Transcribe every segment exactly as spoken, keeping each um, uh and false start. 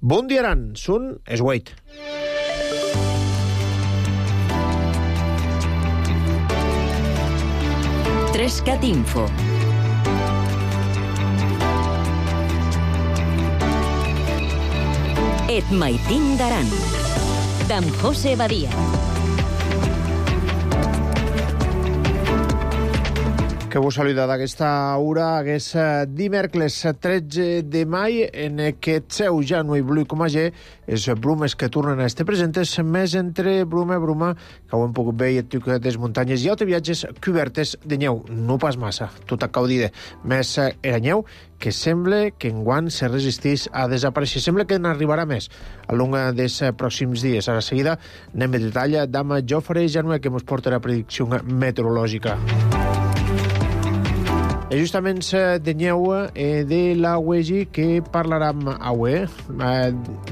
Bon dia, Aran. Són es huit. Trescat Info. Et maitin d'Aran. D'en José Badia. Que vos saluda d'aquesta hora, hagués dimecres tretze de mai, en aquest seu ja no hi blu com a G, és brumes que tornen a estar presentes, més entre bruma i bruma, que ho hem pogut veure a les muntanyes i altres viatges cobertes de neu, no pas massa, tot a caudida, més era neu, que sembla que enguany se resisteix a desaparèixer. Sembla que n'arribarà més a long dels pròxims dies. A la seguida anem a detall d'Ama Jofre Janue, que ens porta la predicció meteorològica. És justament de neu de la U E G I que parlarem avui.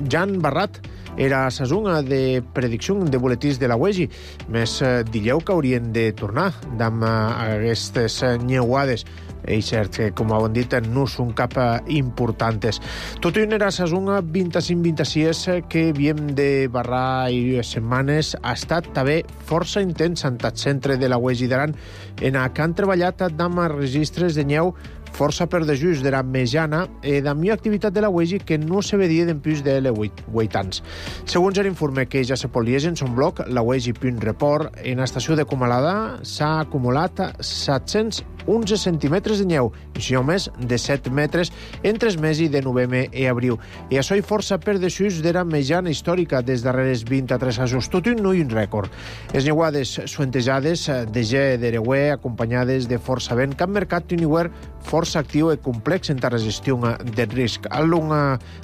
Jan Barrat era la zona de predicció de boletins de la U E G I. Més dilleu que haurien de tornar amb aquestes neuades. És cert que, com ho hem dit, no són cap importants. Tot i una era la zona vint-i-cinc vint-i-sis que havíem de barrar i setmanes ha estat també força intens en el centre de la U E G I d'Aran, en què han treballat amb registres de neu força per de just de la mitjana i de millor activitat de la U E G I que no se vedia d'en plus de vuit anys. Segons l'informe que ja se pot llegir en son blog, la U E G I.report, en l'estació de Comalada s'ha acumulat set-cents onze centímetres de neu, i això més de set metres entre els mesos de novembre i abril. I això hi força per de just de la mitjana històrica des darreres vint-i-tres anys, tot i un no i un rècord. Les neuades suentejades de G d'Ereuer, acompanyades de força vent, que han marcat un hivern força actiu i complex en la gestió del risc. Al long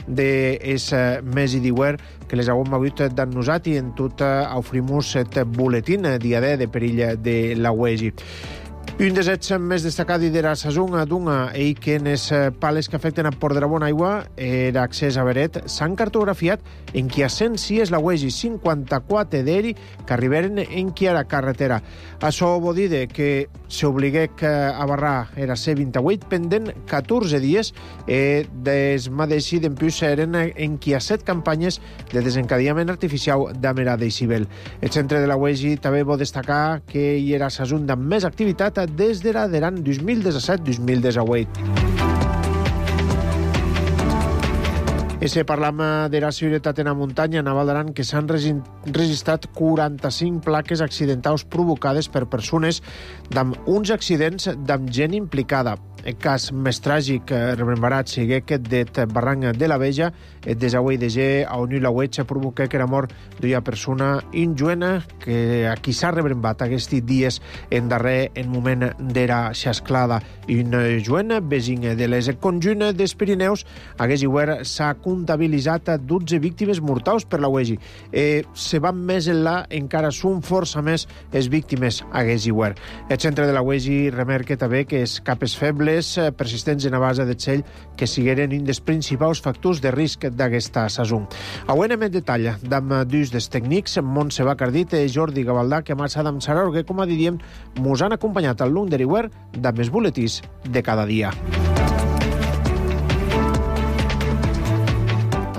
d'aquest mes d'hivern que les hem hagut d'en nosaltres i en tot oferim aquest boletín diadè de perill de la U E G I. Un dels hets més destacats de la saison d'una i que en les pales que afecten a Port de la Bona Aigua l'accés a Beret s'han cartografiat en qui a cent sis la U E G I cinquanta-quatre d'eri que arribaren en qui a la carretera. Això vol dir que s'obliguec a barrar era C vint-i-vuit pendent catorze dies i des mateixi d'en plus eren en qui a set campanyes de desencadillament artificial d'Amerada i Cibel. El centre de la U E G I també vol destacar que hi era la saison amb més activitat des de la d'Aran dos mil disset dos mil divuit. I si parlam de la seguretat en la muntanya a Naval d'Aran, que s'han registrat quaranta-cinc plaques accidentals provocades per persones amb uns accidents amb gent implicada. El cas més tràgic, remembrat, sigui aquest de Barranc de la Veja, el desagüe de G, on la uetxa provoca que era mort d'una persona injuena que a qui s'ha rebrembat aquests dies en darrer en moment d'era xasclada. Un juent vesin de les conjunt dels Pirineus, aquest hivern s'ha comptabilitzat dotze víctimes mortals per la U E G I. Eh, se van més enllà, encara són força més les víctimes aquest hivern. El centre de la U E G I remarca també que els capes febles persistents en la base de txell que sigueren un dels principals factors de risc d'aquesta saison. Avui anem en detall amb dos dels tècnics, Montse Bacardit i Jordi Gavaldà, que marxat amb Saror, que, com a diríem, mos han acompanyat al long de l'hivern amb els boletins de cada dia.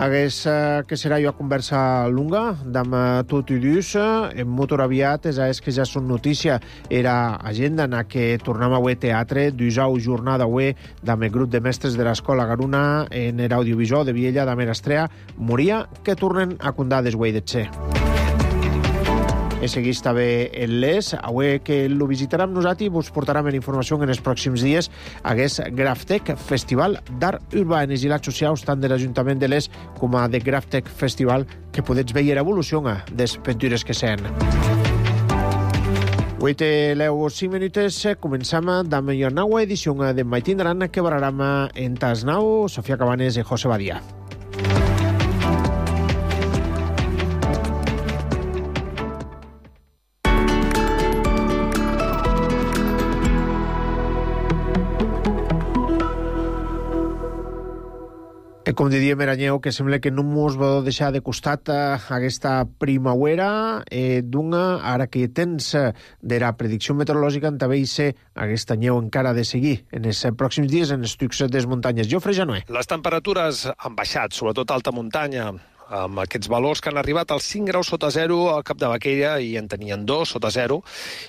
Hagués que serà una conversa lunga, amb tot i dus, en motor aviat, és que ja són notícia, era agenda en què tornem a veure teatre, dusau jornada avui, amb el grup de mestres de l'escola Garuna, en l'audiovisual de Viella, de Merastrea, moria que tornen a condar desguai de Txer. I segueix també en l'Es, avui que lo visitarem nosaltres i vos portarem en informació en els pròxims dies hagués Graftec Festival d'Art Urbà en els ilats socials tant de l'Ajuntament de l'Es com a de Graftec Festival que podets veure l'evolució des pintures que sent. Avui té l'eu cinc minuts, comencem amb la nova edició de Maitin d'Aran que barrarem en Tasnau, Sofia Cabanes i José Badia. E com diríem era Nyeu, que sembla que no mos va deixar de costat eh, aquesta primavera eh, d'una, ara que tens eh, de la predicció meteorològica en també ser aquesta Nyeu encara de seguir en els pròxims dies en els tucs des muntanyes. Jofre Janoé. Les temperatures han baixat, sobretot a alta muntanya, amb aquests valors que han arribat als cinc graus sota zero al Cap de Baquella i en tenien dos sota zero,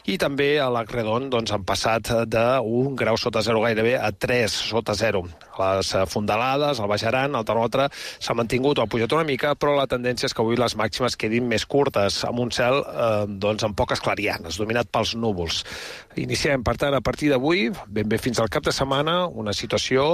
i també a l'Acredon doncs, han passat d'un grau sota zero gairebé a tres sota zero. Les fondalades, el Baix Aran, el termòmetre s'ha mantingut o ha pujat una mica, però la tendència és que avui les màximes quedin més curtes, amb un cel eh, doncs, amb poques clarianes, dominat pels núvols. Iniciem, per tant, a partir d'avui, ben bé fins al cap de setmana, una situació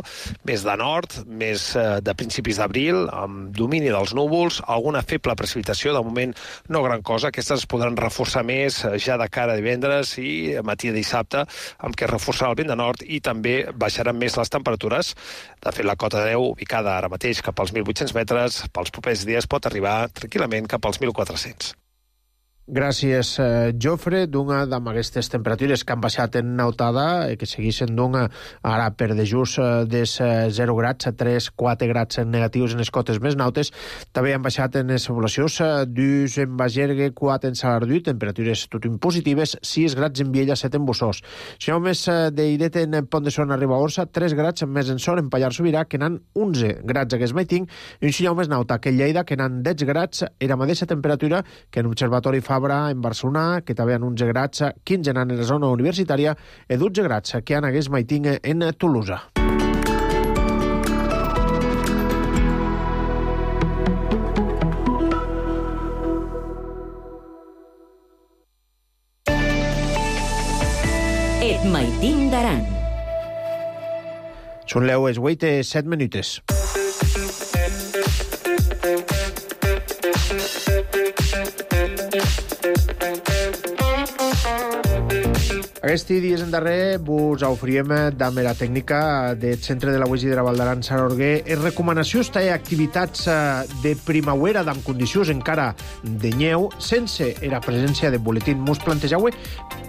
més de nord, més eh, de principis d'abril, amb domini dels núvols, alguna feble precipitació, de moment no gran cosa. Aquestes es podran reforçar més ja de cara a divendres i a matí de dissabte, amb què es reforçarà el vent de nord i també baixaran més les temperatures. De fet, la cota de neu, ubicada ara mateix cap als mil vuit-cents metres, pels propers dies pot arribar tranquil·lament cap als mil quatre-cents. Gràcies, eh, Jofre. D'una d'aquestes temperatures que han baixat en nautada, eh, que segueixen d'una ara per de just eh, des eh, zero grads a tres quatre grads negatius en les cotes més nautes. També han baixat en les poblacions eh, dus en Bagergue, quatre en Salardú, temperatures tot positives, sis grads en Viella, set en Bossós. Si no més eh, d'Iret en Pont de Son arriba a Orsa, tres grads més en Son, en Pallar Sobirà, que n'han onze grads a Guesmaiting, i un sinyal més nauta que en Lleida, que n'han deu grads, era la mateixa temperatura que en l'Observatori Fabra en Barcelona, que també han onze grads, quinze en la zona universitària i dotze grads que han a Guesmaiting en Tolosa. Et Maitim d'Aran. Són les vuit i set minutes. Aquests dies en darrer vos oferíem de la tècnica del Centre de la U E G i de la Val d'Aran Sarorguer les recomanacions i activitats de primavera amb condicions encara de neu sense la presència de boletín. Mos plantejau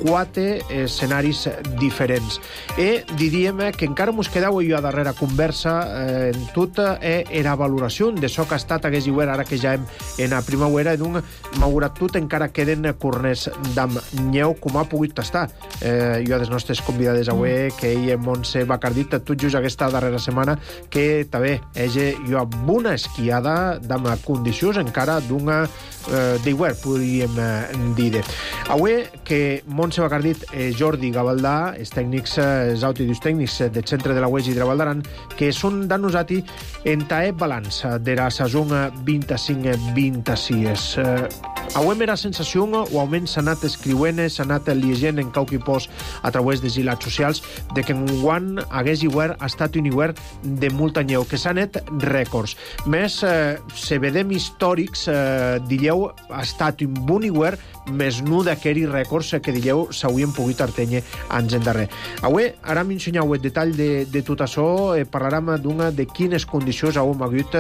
quatre escenaris diferents. I diríem que encara mos quedau jo a darrera conversa eh, en tota eh, la valoració de això que ha estat hagués igual ara que ja hem en la primavera, d'un malgrat tot encara queden corners d'am neu com ha pogut tastar. Eh, jo a les nostres convidades avui, que ell, Montse Bacardit, tot just aquesta darrera setmana, que també ella jo amb una esquiada d'am condicions encara d'una eh, d'igual, podríem eh, dir. Avui que Montse Bacardit i Jordi Gavaldà, els tècnics, els autidus tècnics del Centre de la U E G i de la Val d'Aran, que són de nosaltres en tae balanç de la saison vint-i-cinc vint-i-sis. Eh, avui mera sensació, o almenys s'ha anat escriuent, s'ha anat llegent en qualque post a través de gilats socials, de que enguany hagués hivern ha estat un hivern de molta neu, que s'ha net rècords. Més, eh, se vedem històrics, eh, dilleu, ha estat un bon hivern, més no d'aquells rècords que dilleu s'haurien pogut artenyer anys endarrer. Avui, ara m'ensenyau el detall de, de tot això, eh, parlarem d'una de quines condicions hauem hagut,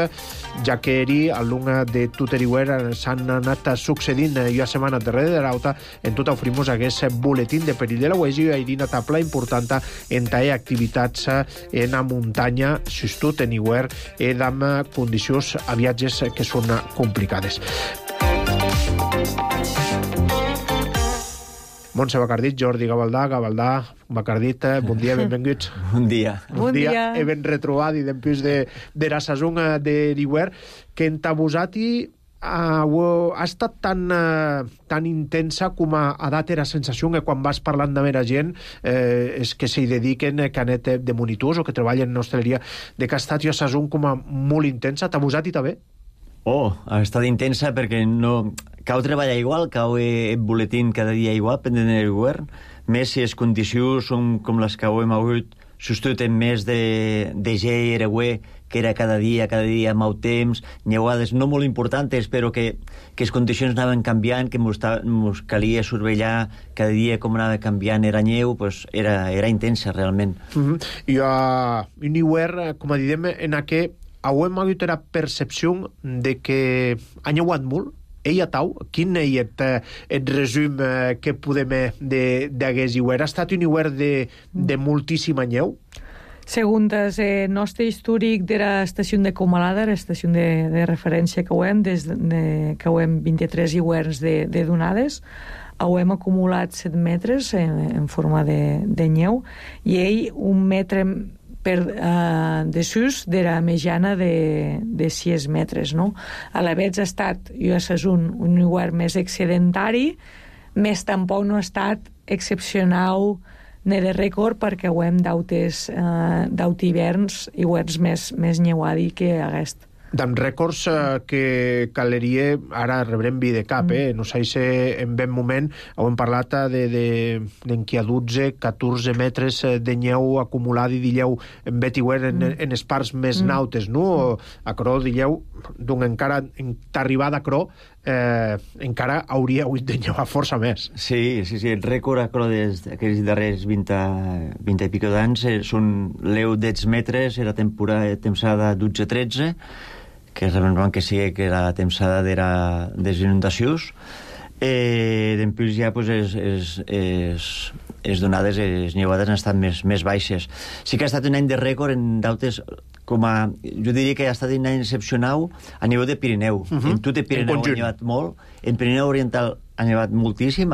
ja que eri a l'una de tot l'hivern s'han anat succeint eh, jo a setmana darrere de l'auta, en tot oferimos aquest boletín de perill de la U E G i una tabla important en tae activitats en la muntanya, justut en hivern, i amb condicions a viatges que són complicades. Montse Bacardit, Jordi Gavaldà, Gavaldà, Bacardit, bon dia, benvinguts. Bon dia. Bon, bon dia. dia. He ben retrobat i després de, de la saison de l'hivern, que en Tabusati ha, ha estat tan, uh, tan intensa com a, a data la sensació que quan vas parlant de mera gent eh, és que s'hi dediquen canet de monitors o que treballen en hostaleria, de que ha estat la saison com a molt intensa. Tabusati també? Oh, ha estat intensa perquè no... Cau treballar igual, cau el boletín cada dia igual, pendent del govern, més si les condicions són com les que hem hagut, sostuten més de, de gel, ereuer, que era cada dia, cada dia, mau temps, neuades no molt importants, però que, que les condicions anaven canviant, que mos, mos calia surveillar cada dia com anava canviant era neu, pues era, era intensa, realment. Mm-hmm. I a uh, un hivern, com a diem, en aquest hauem hagut la percepció de que ha neuat molt. Ella tau, quin és el, el resum que podem de, d'hagués hivern? Ha estat un hivern de, de moltíssima neu? Segons el nostre històric de l'estació de Comalada, l'estació de, de referència que ho hem, des de, que ho hem vint-i-tres hiverns de, de donades, ho hem acumulat set metres en, en forma de, de neu, i ell un metre per uh, desús de la mitjana de, de sis metres, no? A la vegada ha estat, jo és un, un hivern més excedentari, més tampoc no ha estat excepcional ni de rècord, perquè ho hem d'autes uh, d'aut hiverns, hiverns més, més neuadi que aquest. D'en rècords eh, que caleria, ara rebrem vi de cap, eh? No sé si en ben moment ho hem parlat de, de, d'enqui a dotze, catorze metres de nyeu acumulada i dilleu en betiuer en, mm. en les parts més mm. nautes, no? A Cro dilleu, doncs encara en t'arribada a Cro eh, encara hauria hagut de llevar força més. Sí, sí, sí, el rècord a Cro d'aquells darrers vint, vint i pico d'anys eh, són l'eu deu metres, era temporada, temporada dotze tretze, que realment que sigui que la temporada era des inundacions. Eh, Després ja pues, es, es, es, es donades, les nevades han estat més, més baixes. Sí que ha estat un any de rècord en dautes, com a, jo diria que ha estat un any excepcional a nivell de Pirineu. Uh -huh. En tot el Pirineu ha nevat molt, en Pirineu Oriental ha nevat moltíssim,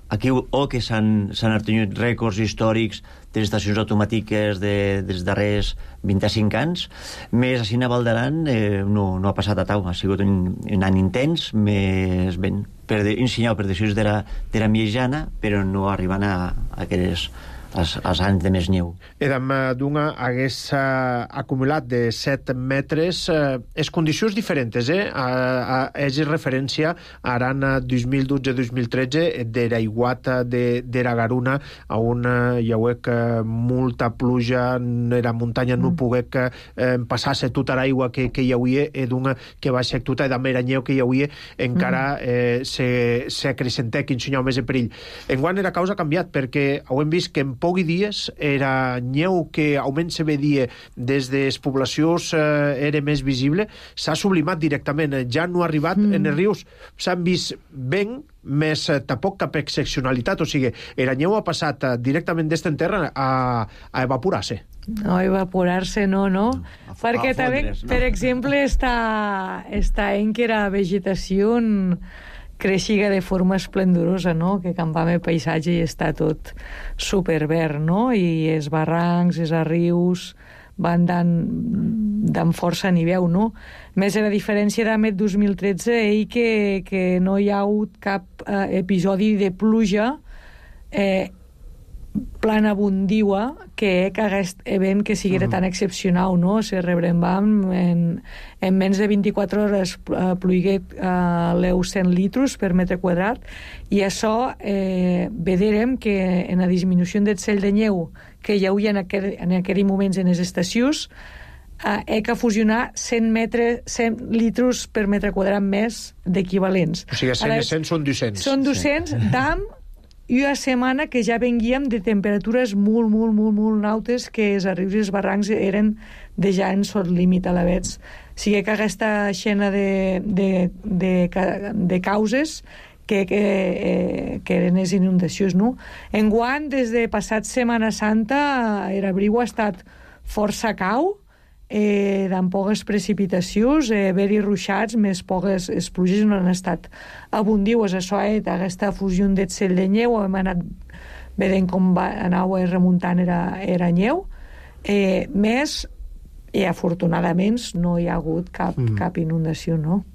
aquí o que s'han obtingut rècords històrics de les estacions automàtiques de, dels darrers vint-i-cinc anys, més així a Val d'Aran eh, no, no ha passat a tau, ha sigut un, un any intens, més ben, per ensenyar per decisions de la, de la mitjana, però no arribant a, a aquelles als, als anys de més neu. Edam Dunga hagués uh, acumulat de set metres, uh, es condicions diferents, eh? Uh, uh, és referència a Aran dos mil dotze dos mil tretze d'era iguata de, d'era Garuna, on uh, hi hauec uh, molta pluja, era muntanya no mm. poguec uh, passar-se tota l'aigua que, que hi havia, e Dunga que va ser tota edam era nyeu que hi havia, encara mm. eh, se, se acrecentec, ensenyau més de perill. Enguany era causa canviat, perquè ho hem vist que en pocs dies era nyeu que almenys se vedia des de les poblacions eh, era més visible, s'ha sublimat directament, ja no ha arribat mm. en els rius, s'han vist ben més eh, tampoc cap excepcionalitat, o sigui, era nyeu ha passat eh, directament d'esta terra a, a evaporar-se. No, evaporar-se no, no, a, perquè a també, fondre's, no? per exemple, està, està en que la vegetació creixiga de forma esplendorosa, no? Que campam el paisatge i està tot superverd, no? I els barrancs, els rius van dan força nivell, no? Més a la diferència d'Amet dos mil tretze, ell que, que no hi ha hagut cap eh, episodi de pluja eh, plan abundiua que aquest event que sigui mm. tan excepcional, no? Se rebrembam en, en menys de vint-i-quatre hores uh, pluigué uh, l'eu cent litros per metre quadrat, i això eh, veurem que en la disminució del cel de neu que hi havia en aquell, en aquell moments en les estacions, uh, he que fusionar cent, metre, cent litros per metre quadrat més d'equivalents. O sigui, cent i cent són dos-cents. Són dos-cents sí. d'am i una setmana que ja venguíem de temperatures molt, molt, molt, molt nautes, que els rius i els barrancs eren de ja en sort límit a la vegada. Sigui que aquesta escena de, de, de, de causes que, que, eh, que eren les inundacions, no? Enguany, des de passat Setmana Santa, el riu ha estat força cau, eh, amb poques precipitacions, eh, haver-hi ruixats, més poques les pluges no han estat abundiues. Això, eh, aquesta fusió del cel de neu, hem anat veient com va, anava remuntant era, era neu, eh, més, i afortunadament no hi ha hagut cap, mm. cap inundació, no?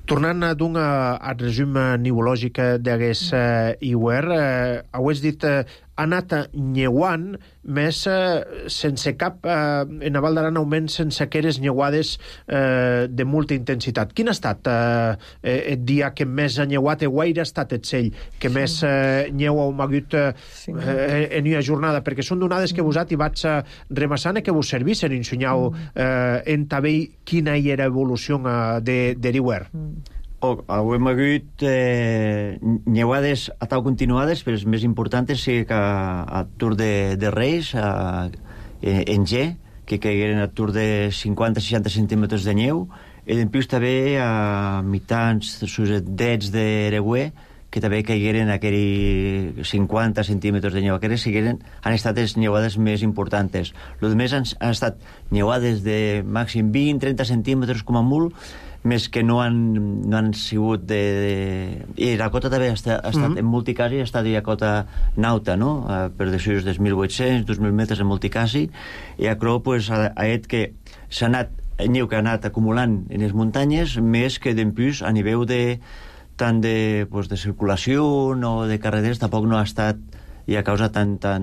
Tornant d'un al resum nivològic d'aquest eh, hivern, eh, ho has dit, eh, ha anat nyeuant, més eh, sense cap, eh, en Val d'Aran augment sense aquelles nyeuades eh, de molta intensitat. Quin ha estat eh, el dia que més ha nyeuat, o guaire ha estat el cell que sí. més eh, nyeu heu hagut eh, sí. eh, en una jornada? Perquè són donades que vos i vaig eh, remassant i que vos servissen, ensenyau eh, en també quina hi era evolució eh, de, de l'hivern. Mm. Oh, hem hagut eh, nyeuades a tau continuades, però les més importants sí que a, a Tour de, de Reis, a, en G, que caigueren a Tour de cinquanta a seixanta centímetres de neu, i després també a mitjans sussetdets de Eregüer, que també caigueren aquells cinquanta centímetres de neu. Aquelles sigueren, han estat les neuades més importants. Els més han, han estat neuades de màxim vint a trenta centímetres com a molt, més que no han, no han sigut de, de... I la cota també ha estat, ha estat mm-hmm. en multicasi, ha estat de cota nauta, no? Uh, per decisions dels mil vuit-cents, dos mil metres en multicasi, i acro pues, ha, ha et que s'ha anat, neu que ha anat acumulant en les muntanyes, més que d'empús a nivell de tant de, pues, de circulació o de carreteres, tampoc no ha estat i a causa tan, tan,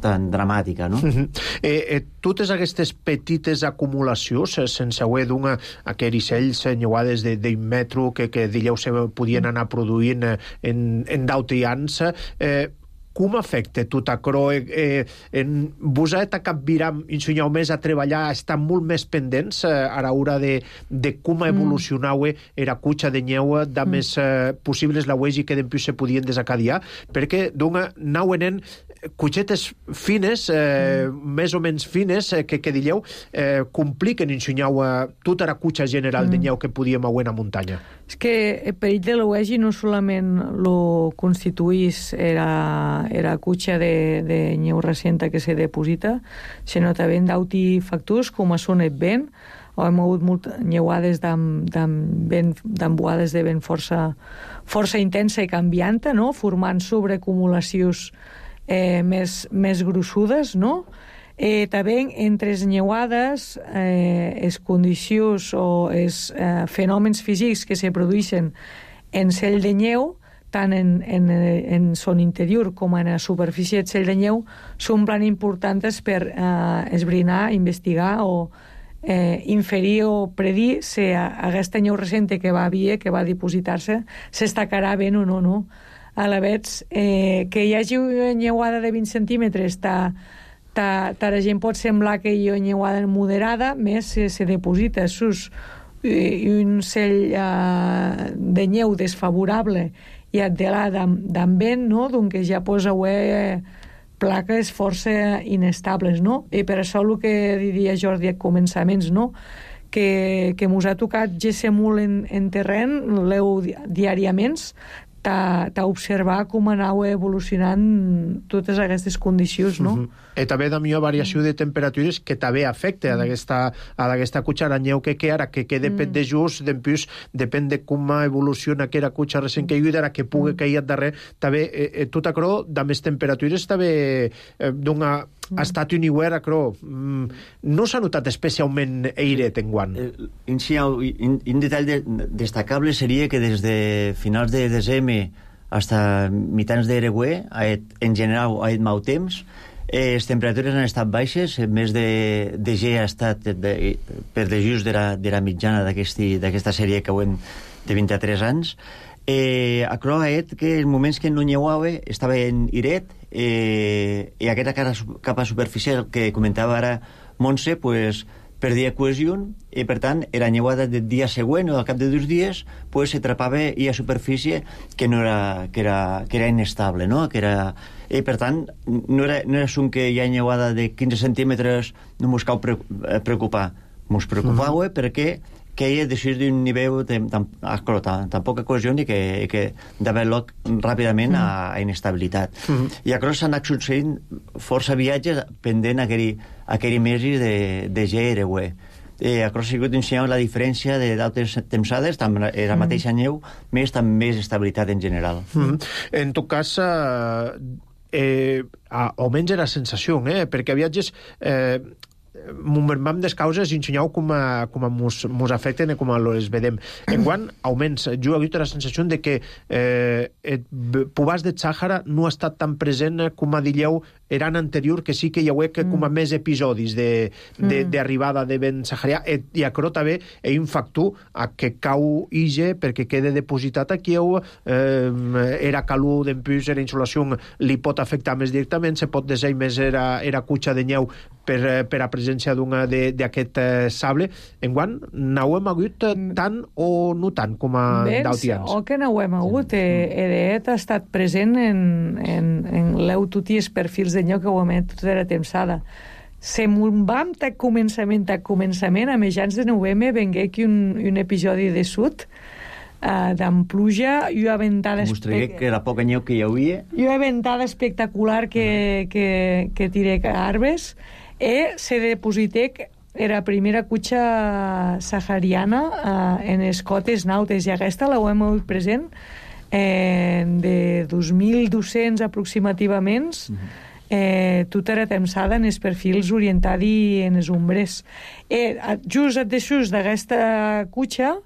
tan dramàtica, no? Uh-huh. eh, eh, totes aquestes petites acumulacions, eh, sense haver d'una aquells ells nyuades d'un metro que, que dileu se podien anar produint eh, en, en d'autians, eh, com afecta tot aquerò? Eh, eh, en vos ha de capvirar, ensenyau més a treballar, estar molt més pendents eh, a l'hora de, de com evolucionau mm. era cutxa de nyeu, de mm. més eh, possibles la uegi que d'empús se podien desacadiar, perquè d'una nau enen cutxetes fines, eh, mm. més o menys fines, eh, que, que dilleu, eh, compliquen ensenyau eh, tota la cutxa general mm. de nyeu que podíem haver a muntanya. És que el perill de l'uegi no solament lo constituís era, era cutxa de, de nyeu recenta que se deposita, sinó també d'auti factors com són el vent, o hem hagut molt nyeuades d'embuades de vent força, força intensa i canvianta, no? Formant sobreacumulacions eh, més, més grossudes, no? Eh, també entre les nyeuades, eh, les condicions o els eh, fenòmens físics que se produeixen en cell de nyeu, tant en, en, en son interior com en la superfície de cell de nyeu, són plan importants per eh, esbrinar, investigar o eh, inferir o predir si aquesta nyeu recent que va haver, que va dipositar-se, s'estacarà ben o no, no? A la vegada, eh, que hi hagi una nyeuada de vint centímetres, ta, ta, ta la gent pot semblar que hi ha una nyeuada moderada, més se, se deposita sus un cell uh, de nyeu desfavorable i et de la d'en vent, no? Donc ja posa eh, plaques força inestables, no? I per això el que diria Jordi a començaments, no? Que, que mos ha tocat gésser molt en, en terreny, l'eu diàriament, t'observar com anau evolucionant totes aquestes condicions, no? Uh-huh. I també de millor variació de temperatures que també afecta a aquesta cutxa la nyeu que queda, que, que depèn de just, d'empús, depèn de com evoluciona aquella cutxa recent que hi ha, que pugui cair darrere, també, eh, tot això, de més temperatures, també eh, d'una ha estat un hivern, acrò, mm, no s'ha notat especialment airet en guant. Un, un detall de, destacable seria que des de finals de desembre fins mitjans d'Ereguer, en general ha estat mau temps, eh, les temperatures han estat baixes, més de, de G ha estat de, per de just de la, de la mitjana d'aquesta sèrie que ho hem de vint-i-tres anys. Eh, acrò ha estat que els moments que no nyeuava estava en iret, eh, i aquesta capa superficial que comentava ara Montse, pues, perdia cohesió i per tant era nyeuada del dia següent o al cap de dos dies pues, s'atrapava i a superfície que no era, que era, que era inestable, no? Que era, i per tant no era, no era un que hi ha nyeuada de quinze centímetres no mos cal preocupar, mos preocupava mm. perquè que ella deixés d'un nivell de tan, tan, tan, tan poca cohesió i que, que d'haver lloc ràpidament mm. a, a inestabilitat. Mm. I a Cross s'han anat succeint força viatges pendent aquell, aquell mesi de, de G R U E. Eh, a Cross ha sigut ensenyant la diferència d'altres tempsades, tant la mm. mateixa neu, més també més estabilitat en general. Mm. En tot cas, eh, eh, almenys era sensació, eh, perquè viatges... Eh, m'envermam des causes i ensenyau com, a, com a mos, mos afecten i com a les vedem. En quant, augments, jo he hagut la sensació de que eh, el Pubàs de Sàhara no ha estat tan present com a dilleu era en anterior, que sí que hi ha que com a més episodis d'arribada de, de, de vent saharià, i a Crota bé hi un factor a que cau ige perquè quede depositat aquí eh, era calor d'empús, era insolació, li pot afectar més directament, se pot desir més era, era cutxa de nyeu per, per a presència d'aquest eh, sable. Enguant, no ho hem hagut tant o no tant com a d'altians? O que no ho hem hagut. Sí. Edet ha estat present en, en, en l'eu tuti els perfils de nyeu que ho emet tota la tempsada. Se vam a començament a començament, a mitjans de novembre vengué aquí un, un episodi de sud uh, d'en pluja i una ventada... Mostraré que era poca neu que hi havia. I una ventada espectacular que, uh-huh. que, que tiré a arbres. E se depositec era primera cutxa sahariana uh, en les cotes nautes, i aquesta la hem hagut present eh, de dos mil dos-cents aproximativament, uh-huh. eh, tota era temsada en els perfils orientats en les ombres. Eh, just deixús d'aquesta cutxa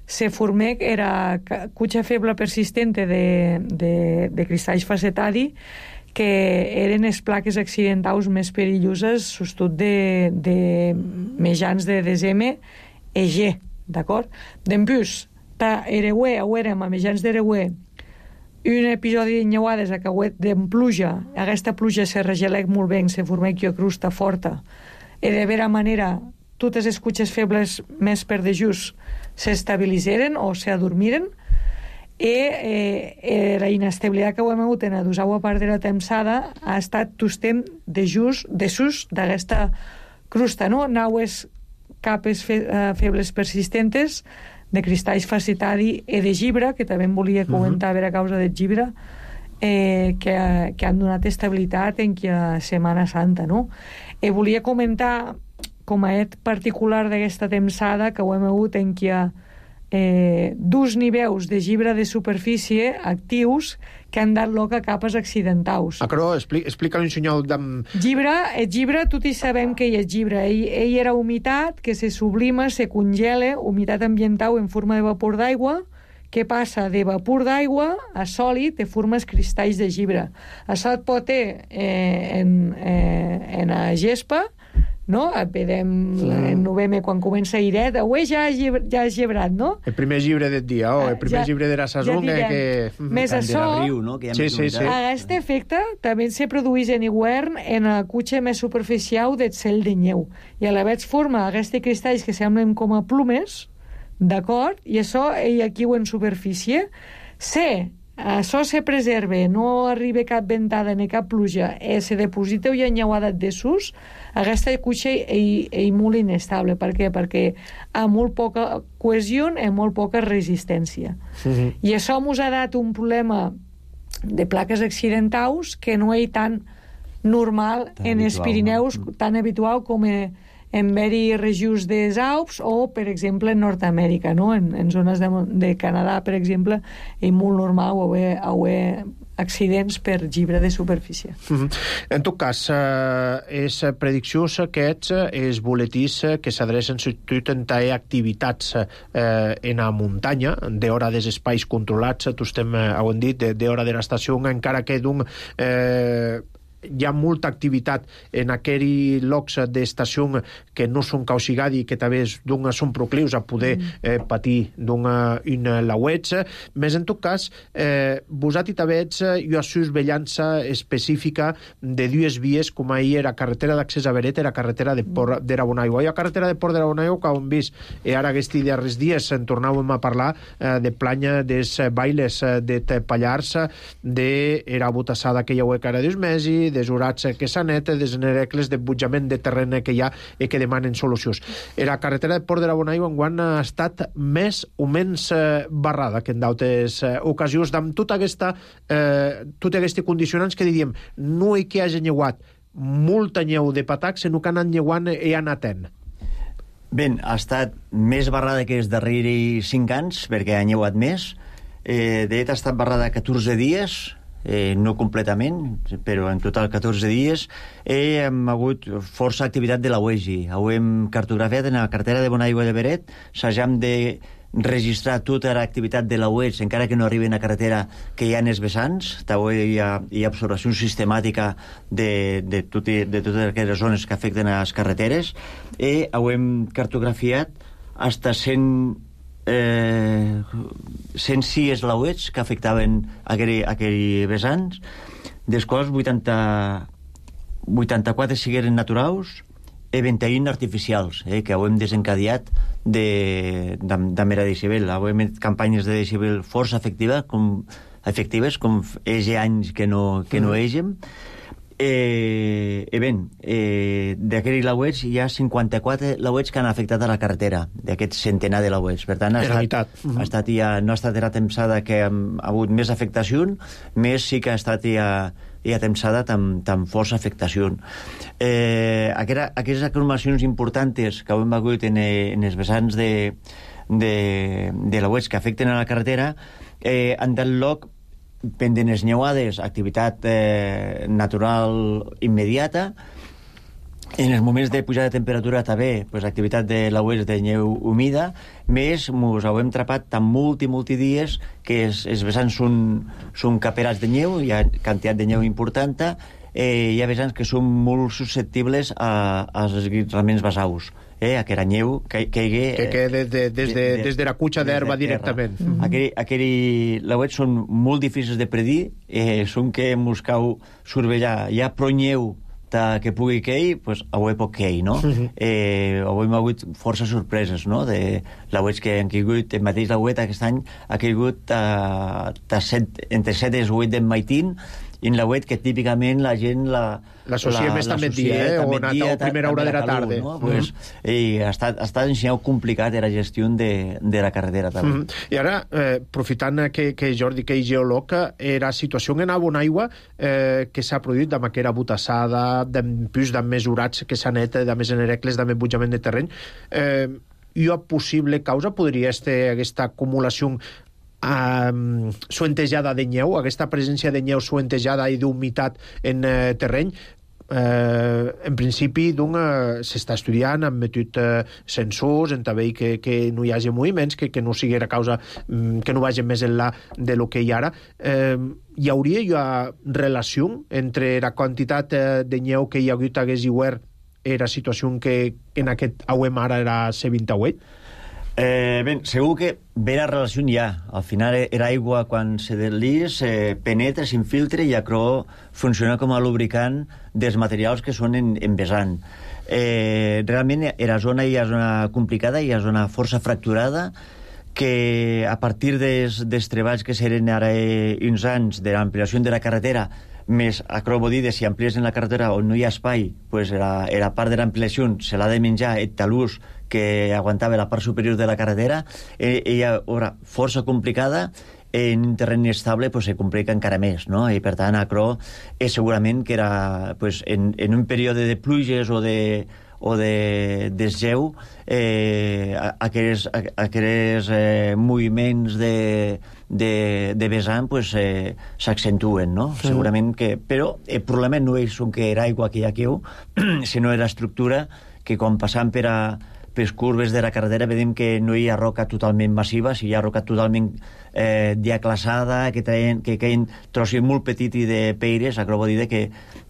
se formec era cutxa feble persistente de, de, de cristalls facetadi, que eren les plaques accidentals més perilloses, sobretot de, de mitjans de desembre e G, d'acord? Dempús, ta ereuè, o érem a mitjans d'ereuè, un episodi d'enyeuades a cauet d'en pluja, aquesta pluja se regelec molt bé, se formec una crusta forta, i de vera manera totes les cutxes febles més per de just s'estabilitzeren o s'adormiren, i eh, la inestabilitat que ho hem hagut en la dosau part de la temsada ha estat tostem de just, de sus d'aquesta crusta, no? Naues capes fe, uh, febles persistentes de cristalls facetadi i de gibra, que també em volia comentar uh-huh. a veure a causa del gibra, eh, que, que han donat estabilitat en que Setmana Santa, no? I volia comentar com a et particular d'aquesta temsada que ho hem hagut en que eh, dos nivells de gibra de superfície actius que han dat lloc a capes accidentals. Ah, però expli explica un senyal d'am... Llibre, el llibre, tots hi sabem que hi és llibre. Ell, ell era humitat, que se sublima, se congela, humitat ambiental en forma de vapor d'aigua, que passa de vapor d'aigua a sòlid de formes cristalls de llibre. Això et pot ter eh, en, eh, en la gespa, no? Vedem mm. en novembre quan comença Iret, avui ja has llibrat, no? El primer llibre del dia, oh, el primer ja, llibre de la saison ja que... Més això, riu, no? Que sí, sí, sí. aquest efecte també se produeix en hivern en la cutxa més superficial del cel de neu. I a la vez forma aquests cristalls que semblen com a plumes, d'acord? I això, ell aquí ho en superfície, se això se preserva, no arriba cap ventada ni cap pluja, eh, se deposita una enyeuada de sus, aquesta cutxa és, és molt inestable. Per què? Perquè ha molt poca cohesió i molt poca resistència. Uh-huh. I això ens ha dat un problema de plaques accidentals que no és tan normal tan en els Pirineus, no? Tan habitual com en, en veri regions dels Alps o, per exemple, en Nord-Amèrica, no? En, en zones de, de Canadà, per exemple, és molt normal haver, haver accidents per llibre de superfície. Mm-hmm. En tot cas, eh, és prediccions aquests, els boletins que s'adrecen sobretot en taer activitats eh, en la muntanya, d'hora dels espais controlats, tu estem, eh, ho hem dit, d'hora de l'estació, encara que d'un... Eh, hi ha molta activitat en aquells llocs d'estació que no són causigadi i que també són proclius a poder eh, patir d'un lauets. Més en tot cas, eh, vosati també hi ha surveillança específica de dues vies, com ahir era carretera d'accés a Beret, era carretera de Port de Rabonaigua. Hi ha carretera de Port de Rabonaigua que hem vist, i ara aquests darrers dies en tornàvem a parlar eh, de planya dels bailes de Pallars, de era botassada que hi ha que era dos mesos, des urats que s'anet, des nerecles de butjament de terreny que hi ha i que demanen solucions. Era carretera de Port de Rabonaigua enguany ha estat més o menys eh, barrada que en d'altres eh, ocasions, amb tota aquesta eh, tota aquestes condicionants que diríem no hi que hagi nyeuat molta nyeu de patac, sinó que han anat nyeuant i han atent. Bé, ha estat més barrada que els darrers cinc anys, perquè ha nyeuat més. Eh, de fet, ha estat barrada catorze dies, Eh, no completament, però en total catorze dies. Eh, hem hagut força activitat de la U E G I. Ho hem cartografiat en la cartera de Bonaigua de Beret. S'hagam de registrar tota l'activitat de la U E G I, encara que no arriben a carretera que hi ha en els vessants. També hi ha, hi ha observació sistemàtica de, de, tot, de totes aquelles zones que afecten a les carreteres. I ho hem cartografiat hasta cent Eh, cent sis lauets que afectaven aquell, aquell vessants, dels quals vuitanta, vuitanta-quatre sigueren naturals i vint-i-un artificials, eh, que ho hem desencadiat de, de, de mera decibel. Ho hem fet campanyes de decibel força efectiva, com, efectives, com ege anys que no, que no egem. Eh, eh, ben, eh, d'aquests lauets hi ha cinquanta-quatre lauets que han afectat a la carretera, d'aquests centenar de lauets. Per tant, ha estat, ha estat ja, no ha estat la tempsada que ha, ha hagut més afectació, més sí que ha estat ja, ja tempsada amb, amb força afectació. Eh, aquera, aquestes acumulacions importants que hem hagut en, en els vessants de, de, de lauets que afecten a la carretera eh, han dat lloc pendent les neuades, activitat eh, natural immediata. En els moments de pujada de temperatura també, pues, activitat de lauets de neu humida, més mos ho hem trapat tan multi, multi dies que els, els vessants són, són caperats de neu, hi ha quantitat de neu important, eh, hi ha vessants que són molt susceptibles a, als esguirraments basaus. Eh, aquella neu que caigui... Que queda des de, des de, de, des de la cutxa d'herba directament. Mm-hmm. Aquell, aquell lauets són molt difícils de predir, eh, són que mos cau survellar. Hi ha prou neu ta, que pugui cair, pues, avui pot cair, no? Mm-hmm. Eh, avui hem hagut força sorpreses, no?, de lauets que han caigut. El mateix lauet aquest any ha caigut a, a set, entre set i vuit d'en Maitín, i en lauet que típicament la gent la l'associa més també dia, eh? O a la primera hora de la tarda. No? Pues, mm-hmm. I ha estat, ha estat ensenyat complicat la gestió de, de la carretera també. Mm-hmm. I ara, eh, aprofitant que, que Jordi, que és geòleg, era situació en Abonaigua eh, que s'ha produït amb aquella botassada, d'empús, de mesurats que s'ha net, de més enerecles, de més butjament de terreny. Eh, i una possible causa podria ser aquesta acumulació Um, suentejada de neu, aquesta presència de neu suentejada i d'humitat en uh, terreny. Uh, en principi uh, s'està estudiant, han metut uh, sensors en també que, que no hi hagi moviments, que, que no sigui la causa, um, que no vagi més enllà de lo que hi ha ara. Uh, hi hauria hi ha relació entre la quantitat uh, de neu que hi ha hagut a Guesiuer i la situació que en aquest auem ara era C vint-i-vuit? Eh, ben, segur que ve la relació hi ha. Al final era aigua quan se deslís, eh, penetra, s'infiltra i acrò funciona com a lubricant dels materials que són en, en vessant. Eh, realment era zona hi ha zona complicada, hi ha zona força fracturada, que a partir dels, dels treballs que seren ara eh, uns anys de l'ampliació de la carretera, més acrò vol dir de si amplies en la carretera on no hi ha espai, pues la, la part de l'ampliació se l'ha de menjar el talús que aguantava la part superior de la carretera, eh, ella era força complicada, en un terreny estable pues, se complica encara més, no? I per tant acrò eh, segurament que era pues, en, en un període de pluges o de o de desgeu, eh, aquells, aquells eh, moviments de, de, de vessant pues, eh, s'accentuen, no? Sí. Segurament que... Però el problema no és que era aigua que hi ha queu, sinó la estructura que quan passam per a les curves de la carretera veiem que no hi ha roca totalment massiva, si hi ha roca totalment eh, diaclassada, que traien, que caien trossos molt petits i de peires, acrò vol dir que,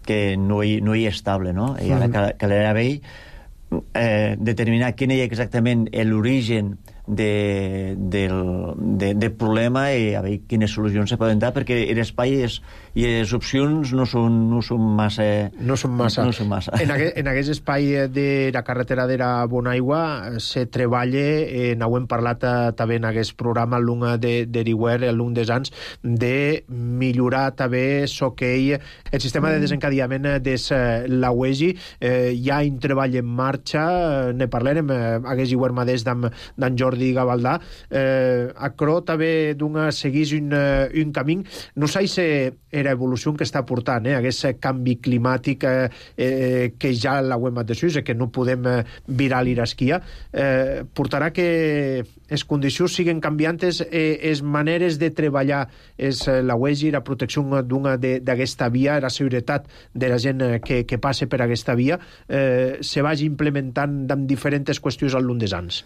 que no, hi, no hi és estable, no? I ara cal, calera bé eh, determinar quin és exactament l'origen de, del, de, del problema i a veure quines solucions se poden dar, perquè l'espai és, i les opcions no són, no són massa... No són massa. No són massa. En, aquest, en aquest espai de la carretera de la Bonaigua se treballa, eh, n'ho hem parlat eh, també en aquest programa, l'un de, de Riuer, l'un des anys, de millorar també soquei, el sistema de desencadiament des eh, la U E G I. Eh, hi ha un treball en marxa, eh, ne parlarem, eh, hagués Riuer Madès d'en Jordi Jordi Gavaldà, eh, acrò també d'una seguís un, un camí. No sé si era evolució que està portant, eh, aquest canvi climàtic eh, eh, que ja l'hauem de sus, que no podem eh, virar l'irasquia, eh, portarà que les condicions siguin canviantes, eh, les maneres de treballar és la U E G I, la protecció d'una d'aquesta via, la seguretat de la gent que, que passa per aquesta via, eh, se vagi implementant amb diferents qüestions al llarg dels anys.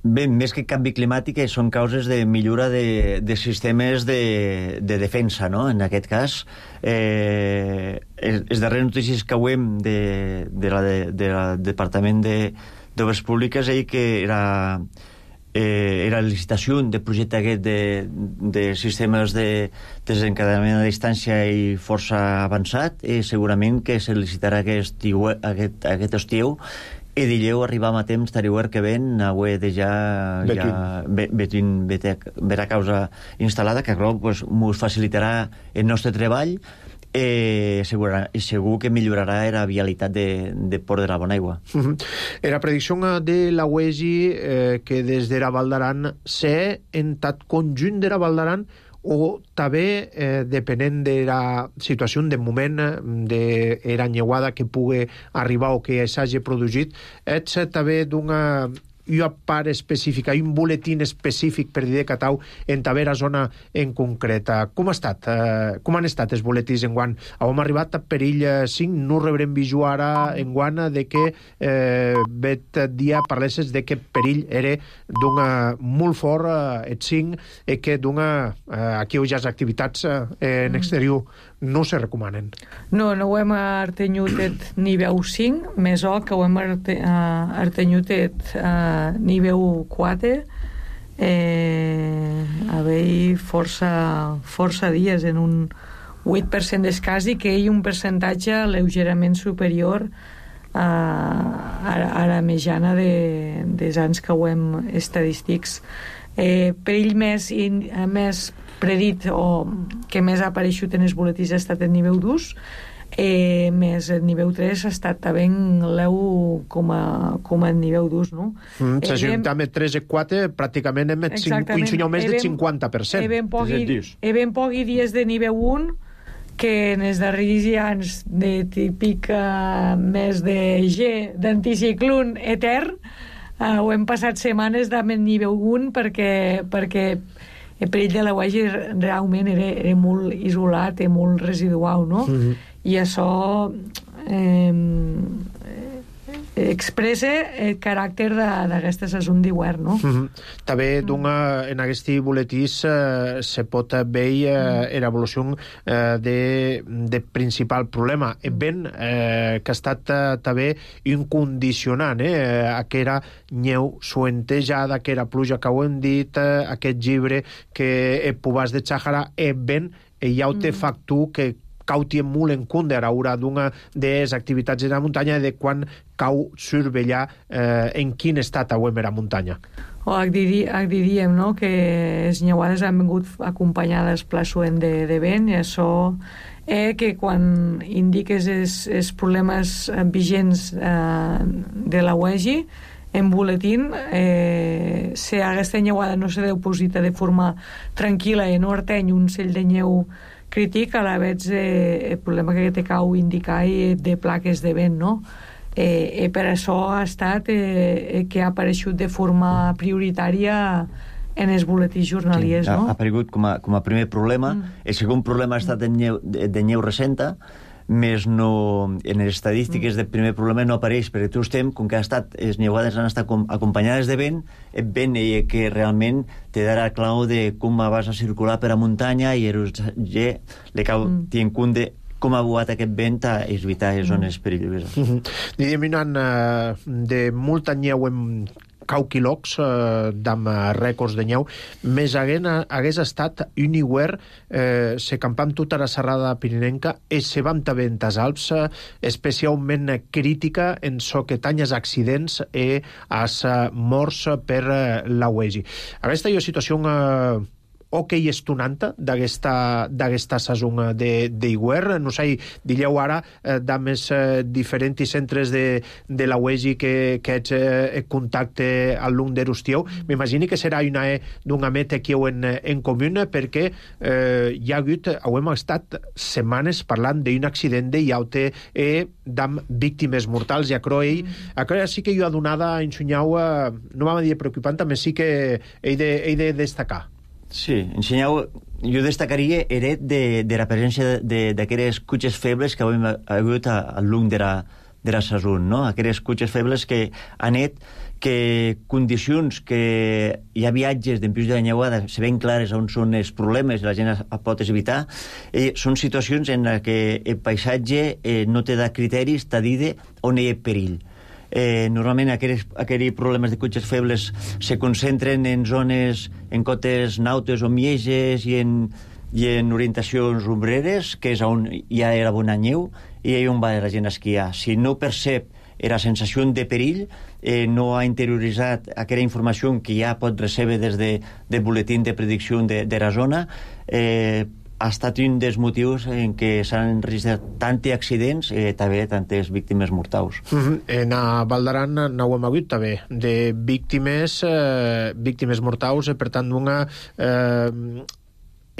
Bé, més que canvi climàtic són causes de millora de, de sistemes de, de defensa, no? En aquest cas, eh, les darreres notícies que hem de, de la de, de la Departament d'Obres Públiques és que era, eh, era licitació de projecte aquest de, de sistemes de desencadenament a distància i força avançat, i segurament que se licitarà aquest, aquest, aquest estiu, i dilleu arribar a temps d'Ariuer que ven a UE de ja betin vera causa instal·lada, que pues, mos facilitarà el nostre treball eh, segur, segur que millorarà la vialitat de, de Port de la Bonaigua. Uh-huh. Era predicció de la U E G I eh, que des de la Val d'Aran s'ha entat conjunt de la Val d'Aran o també, eh, depenent de la situació de moment de la nyeuada que pugui arribar o que s'hagi produït, ets també d'una una part específica, un boletín específic per dir de Catau en tavera zona en concreta. Com ha estat? Eh, com han estat els boletins en guant? Hem arribat a perill cinc, no rebrem visió ara en guant de que eh, vet dia parlesses de que perill era d'una molt fort eh, et cinc i que d'una eh, aquí hi ha activitats eh, en exterior no se recomanen. No, no ho hem artenyut et nivell cinc, més o que ho hem arte, uh, artenyut et uh, nivell quatre, eh, haver força, força dies en un vuit per cent d'escàs i que hi ha un percentatge lleugerament superior a, a, a la mitjana de, dels anys que ho hem estadístics. Eh, per ell més, i, més predit o que més ha apareixut en els boletins ha estat el nivell dos, eh, més el nivell tres ha estat també l'eu com a, com a nivell dos, no? Mm, eh, si juntem el tres i quatre, pràcticament hem un més del cinquanta per cent. He ben pocs dies de nivell un que en els darrers anys de típic uh, mes de G, d'anticiclón etern, uh, ho hem passat setmanes d'am el nivell un perquè, perquè el perill de la U E G I realment era, era molt isolat i molt residual, no? Mm-hmm. I això eh, expressa el caràcter d'aquesta saison d'hivern, no? Mm-hmm. També d'una, en aquest boletí eh, se pot veure eh, l'evolució eh, de, de principal problema. El vent eh, que ha estat eh, també un condicionant, eh, aquella neu suentejada, aquella pluja que ho hem dit, eh, aquest llibre que el pobàs de Xàhara, el vent, hi ha un mm. factor que cau tient molt en compte a l'hora d'una de les activitats de la muntanya de quan cau survetllar eh, en quin estat auem a la muntanya. O diri, diríem no? que les nyeuades han vingut acompanyades plaçuent de, de vent i això eh, que quan indiques els, els problemes vigents eh, de la U E G I en boletín, eh, si aquesta nyeuada no se deu posita de forma tranquil·la i no arteny un cell de nyeu crític, a la vegada eh, el problema que te cau indicar de plaques de vent, no? Eh, eh, per això ha estat eh, que ha aparegut de forma prioritària en els boletins jornaliers, sí, no? Ha aparegut com a, com a primer problema. Mm. El segon problema ha estat de nyeu, de, de nyeu recenta, més no, en les estadístiques mm. del primer problema no apareix, perquè tu estem, com que ha estat, les nyeuades han estat com, acompanyades de vent, el vent eh, que realment te darà clau de com vas a circular per a muntanya i el G le cau mm. tient compte de com ha buat aquest vent a evitar les zones mm. perilloses. Mm-hmm. Diríem, uh, de molta nyeu en cau quilocs eh, d'amb rècords de nyeu, més haguent, hagués estat un hivern eh, se campam tota la serrada pirinenca i se vam també en tas Alps, eh, especialment crítica en so que tanyes accidents i as morts per eh, la U E G I. Aquesta és situació eh, ok estonanta d'aquesta d'aquesta saison de d'hivern. No sé, dilleu ara eh, d'ames eh, diferents centres de, de la U E G I que, que ets eh, contacte al long de Rustieu. M'imagino que serà una eh, d'una meta que heu en, en comú perquè eh, hi ha hagut, hem estat setmanes parlant d'un accident de iaute i d'am víctimes mortals i a Croell. Mm. A Croell sí que jo ha donada en Sunyau, eh, no vam dir preocupant, també sí que he de, he de destacar. Sí, ensenyau, jo destacaria era de, de la presència d'aquelles cotxes febles que hem hagut al long de la, de la saison, no? Aquelles cotxes febles que han net que condicions que hi ha viatges d'empius de la nyeuada se ven clares on són els problemes i la gent es pot evitar, eh, són situacions en què el paisatge eh, no te da criteris, t'ha dit on hi ha perill. Eh, normalment aquells, aquells problemes de cotxes febles se concentren en zones, en cotes nautes o mieges i en, i en orientacions ombreres, que és on hi ha la bona neu i on va la gent a esquiar. Si no percep la sensació de perill, eh, no ha interioritzat aquella informació que ja pot recebre des de, del boletín de predicció de, de la zona, eh, ha estat un dels motius en què s'han enregistrat tants accidents i eh, també tantes víctimes mortals. Mm-hmm. En a Val d'Aran n'ho hem hagut també de víctimes eh, víctimes mortals, eh, per tant d'una eh,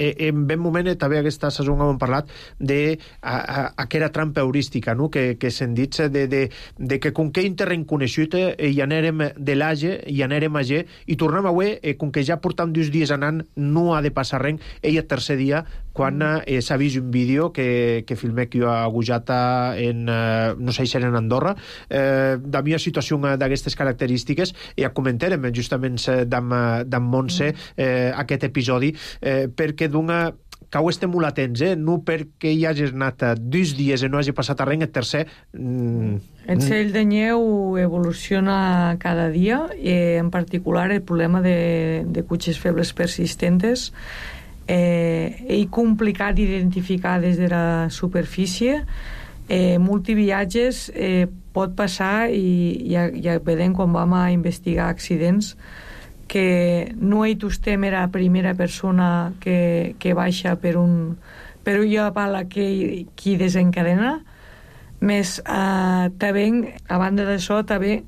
en ben moment també aquesta saison hem parlat de a, a, aquella trampa heurística, no? que, que se'n dit de, de, de que com que hi terreny coneixut eh, hi anèrem de l'Age hi anèrem a G i tornem a Ué eh, com que ja portam dos dies anant no ha de passar res, ell el tercer dia quan eh, s'ha vist un vídeo que, que filmé que jo a Gujata en, eh, no sé si era en Andorra eh, de mi situació d'aquestes característiques i ja comentarem justament d'en Montse eh, aquest episodi eh, perquè d'una que ho estem molt atents, eh? No perquè hi hagis anat dos dies i no hagi passat a res, el tercer... Mm, el cell de neu evoluciona cada dia, i en particular el problema de, de cotxes febles persistentes eh, és complicat d'identificar des de la superfície. Eh, multiviatges eh, pot passar i ja, ja vedem quan vam a investigar accidents que no hi tostem era la primera persona que, que baixa per un per una pala que qui desencadena més eh, també a banda d'això també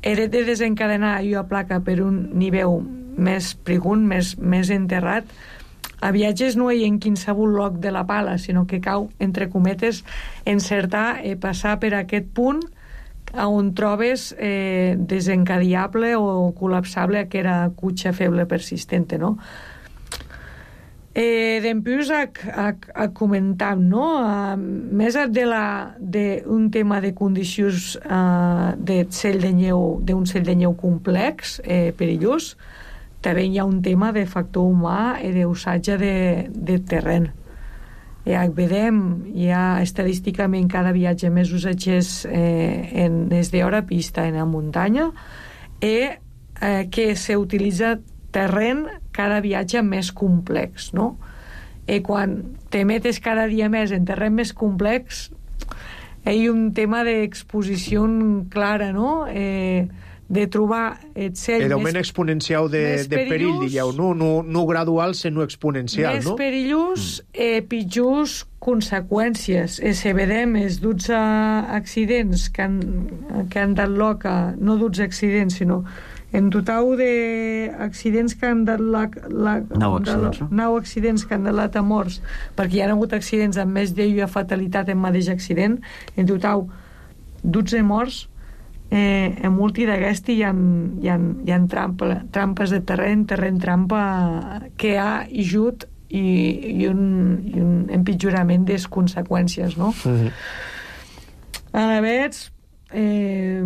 era de desencadenar una placa per un nivell més prigun, més, més enterrat. A viatges no hi ha en qualsevol lloc de la pala, sinó que cau, entre cometes, encertar i passar per aquest punt on trobes eh, desencadiable o col·lapsable que era cotxe feble persistente, no? Eh, D'empús a, a, a comentar, no? A, més de la d'un tema de condicions eh, de cell de neu, d'un cell de neu complex, eh, perillós, també hi ha un tema de factor humà i d'usatge de, de terreny. Ja vedem, hi ha estadísticament cada viatge més usatges eh, en des d'hora pista en la muntanya i eh, que s'utilitza terreny cada viatge més complex, no? I quan te metes cada dia més en terreny més complex hi ha un tema d'exposició clara, no? Eh, de trobar el cel el augment més, exponencial de, de perill, digueu, no, no, no gradual, sinó exponencial, més no? Més perillós, mm. eh, pitjors conseqüències. Eh, se vedem els dotze accidents que han, que han dat lloc a, no dotze accidents, sinó en total d'accidents que han dat la, la, nou accidents, no? nou accidents que han dat a morts, perquè hi ha hagut accidents amb més d'una fatalitat en mateix accident, en total dotze morts. Eh, en multi d'aquesti hi ha, hi ha, hi ha trampa, trampes de terreny, terreny trampa que ha ajut i, i, un, i un empitjorament de les conseqüències, no? Mm-hmm. A veure, eh,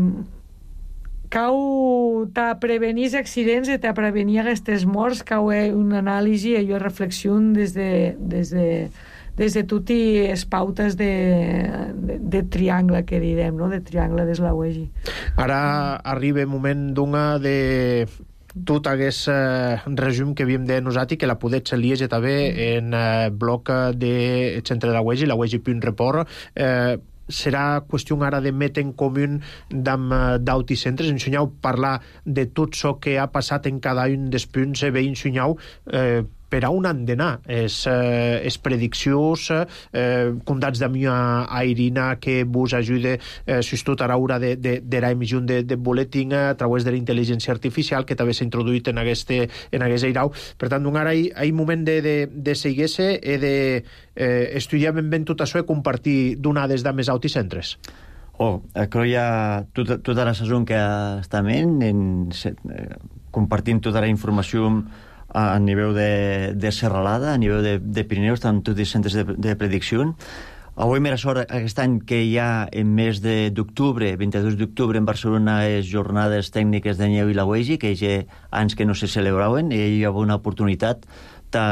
cau ta prevenir els accidents i ta prevenir aquestes morts, cau una anàlisi i una reflexió des de, des de des de totes les pautes de, de, de triangle que direm, no? De triangle des la U E G I. Ara arriba el moment d'una de tot aquest eh, resum que havíem de nosaltres, que la podets llegir també en eh, bloc de centre de la U E G I, la U E G I punt report. Eh, serà qüestió ara de metre en comú d'autocentres, ensenyau parlar de tot això que ha passat en cada un dels punts, bé ensenyau eh, per a on han d'anar és, eh, és prediccions eh, condats d'ami a, a Irina que vos ajuda eh, sobretot a l'hora de, de, de l'emissió de, de boletín a través de la intel·ligència artificial que també s'ha introduït en aquest, en aquest airau. Per tant, ara hi ha un moment de, de, de seguir-se i de eh, estudiar ben ben tot això i compartir donades de més autocentres. Oh, crec que tota, tota la saison que estem en, en eh, compartint tota la informació a nivell de, de Serralada, a nivell de, de Pirineus, amb tots els centres de, de predicció. Avui m'era sort aquest any que hi ha en mes d'octubre, vint-i-dos d'octubre en Barcelona, les jornades tècniques de neu i la U E G I, que hi ha anys que no se celebraven, i hi ha una oportunitat de,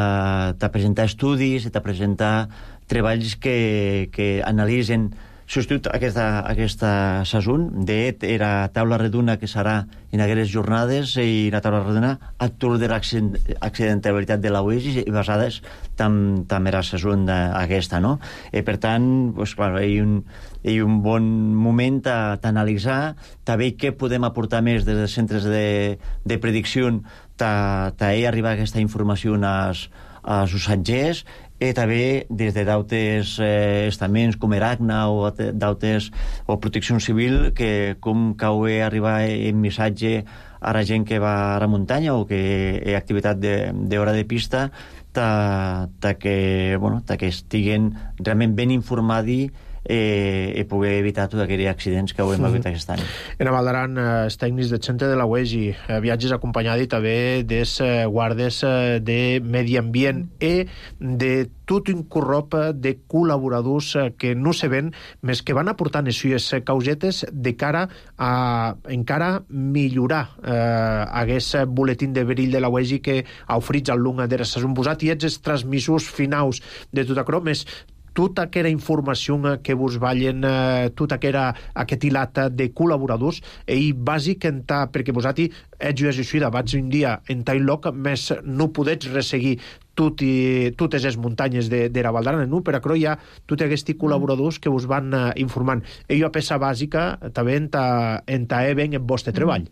de presentar estudis, de presentar treballs que, que analitzen substitut aquesta, aquesta sason. De era taula redona que serà en aquestes jornades i la taula redona actual de l'accidentabilitat de la U E G I i basades també tam era sason aquesta, no? I per tant, pues, clar, hi ha un, hi ha un bon moment d'analitzar, també què podem aportar més des dels centres de, de predicció, d'ahir arribar aquesta informació als, als usatgers, i també des de d'altres eh, estaments com Eracna o d'altres o Protecció Civil, que com cau arribar en missatge a la gent que va a la muntanya o que hi ha activitat d'hora de, de pista, ta, ta que, bueno, ta que estiguen realment ben informats eh, i poder evitar tots aquells accidents que ho hem hagut aquest any. En a Valdaran, eh, els tècnics del centre de la U E G I, eh, viatges acompanyats també dels eh, guardes eh, de medi ambient i de tot un corrop de col·laboradors eh, que no se ven, més que van aportant les causetes de cara a encara millorar eh, aquest boletín de perill de la U E G I que ha oferit al lunga de la sason posat, i ets els transmissors finals de tot això, més tota aquella informació que vos vallen, eh, tota aquella, aquest hilat de col·laboradors, i bàsic en ta, perquè vosaltres ets jo així, vaig un dia en tal lloc, més no podets resseguir tot i, totes les muntanyes de, de la Valdarana, no? Per això hi ha tots aquests col·laboradors que us van eh, informant. I jo, a peça bàsica, també en ta, en ta e ben el vostre treball.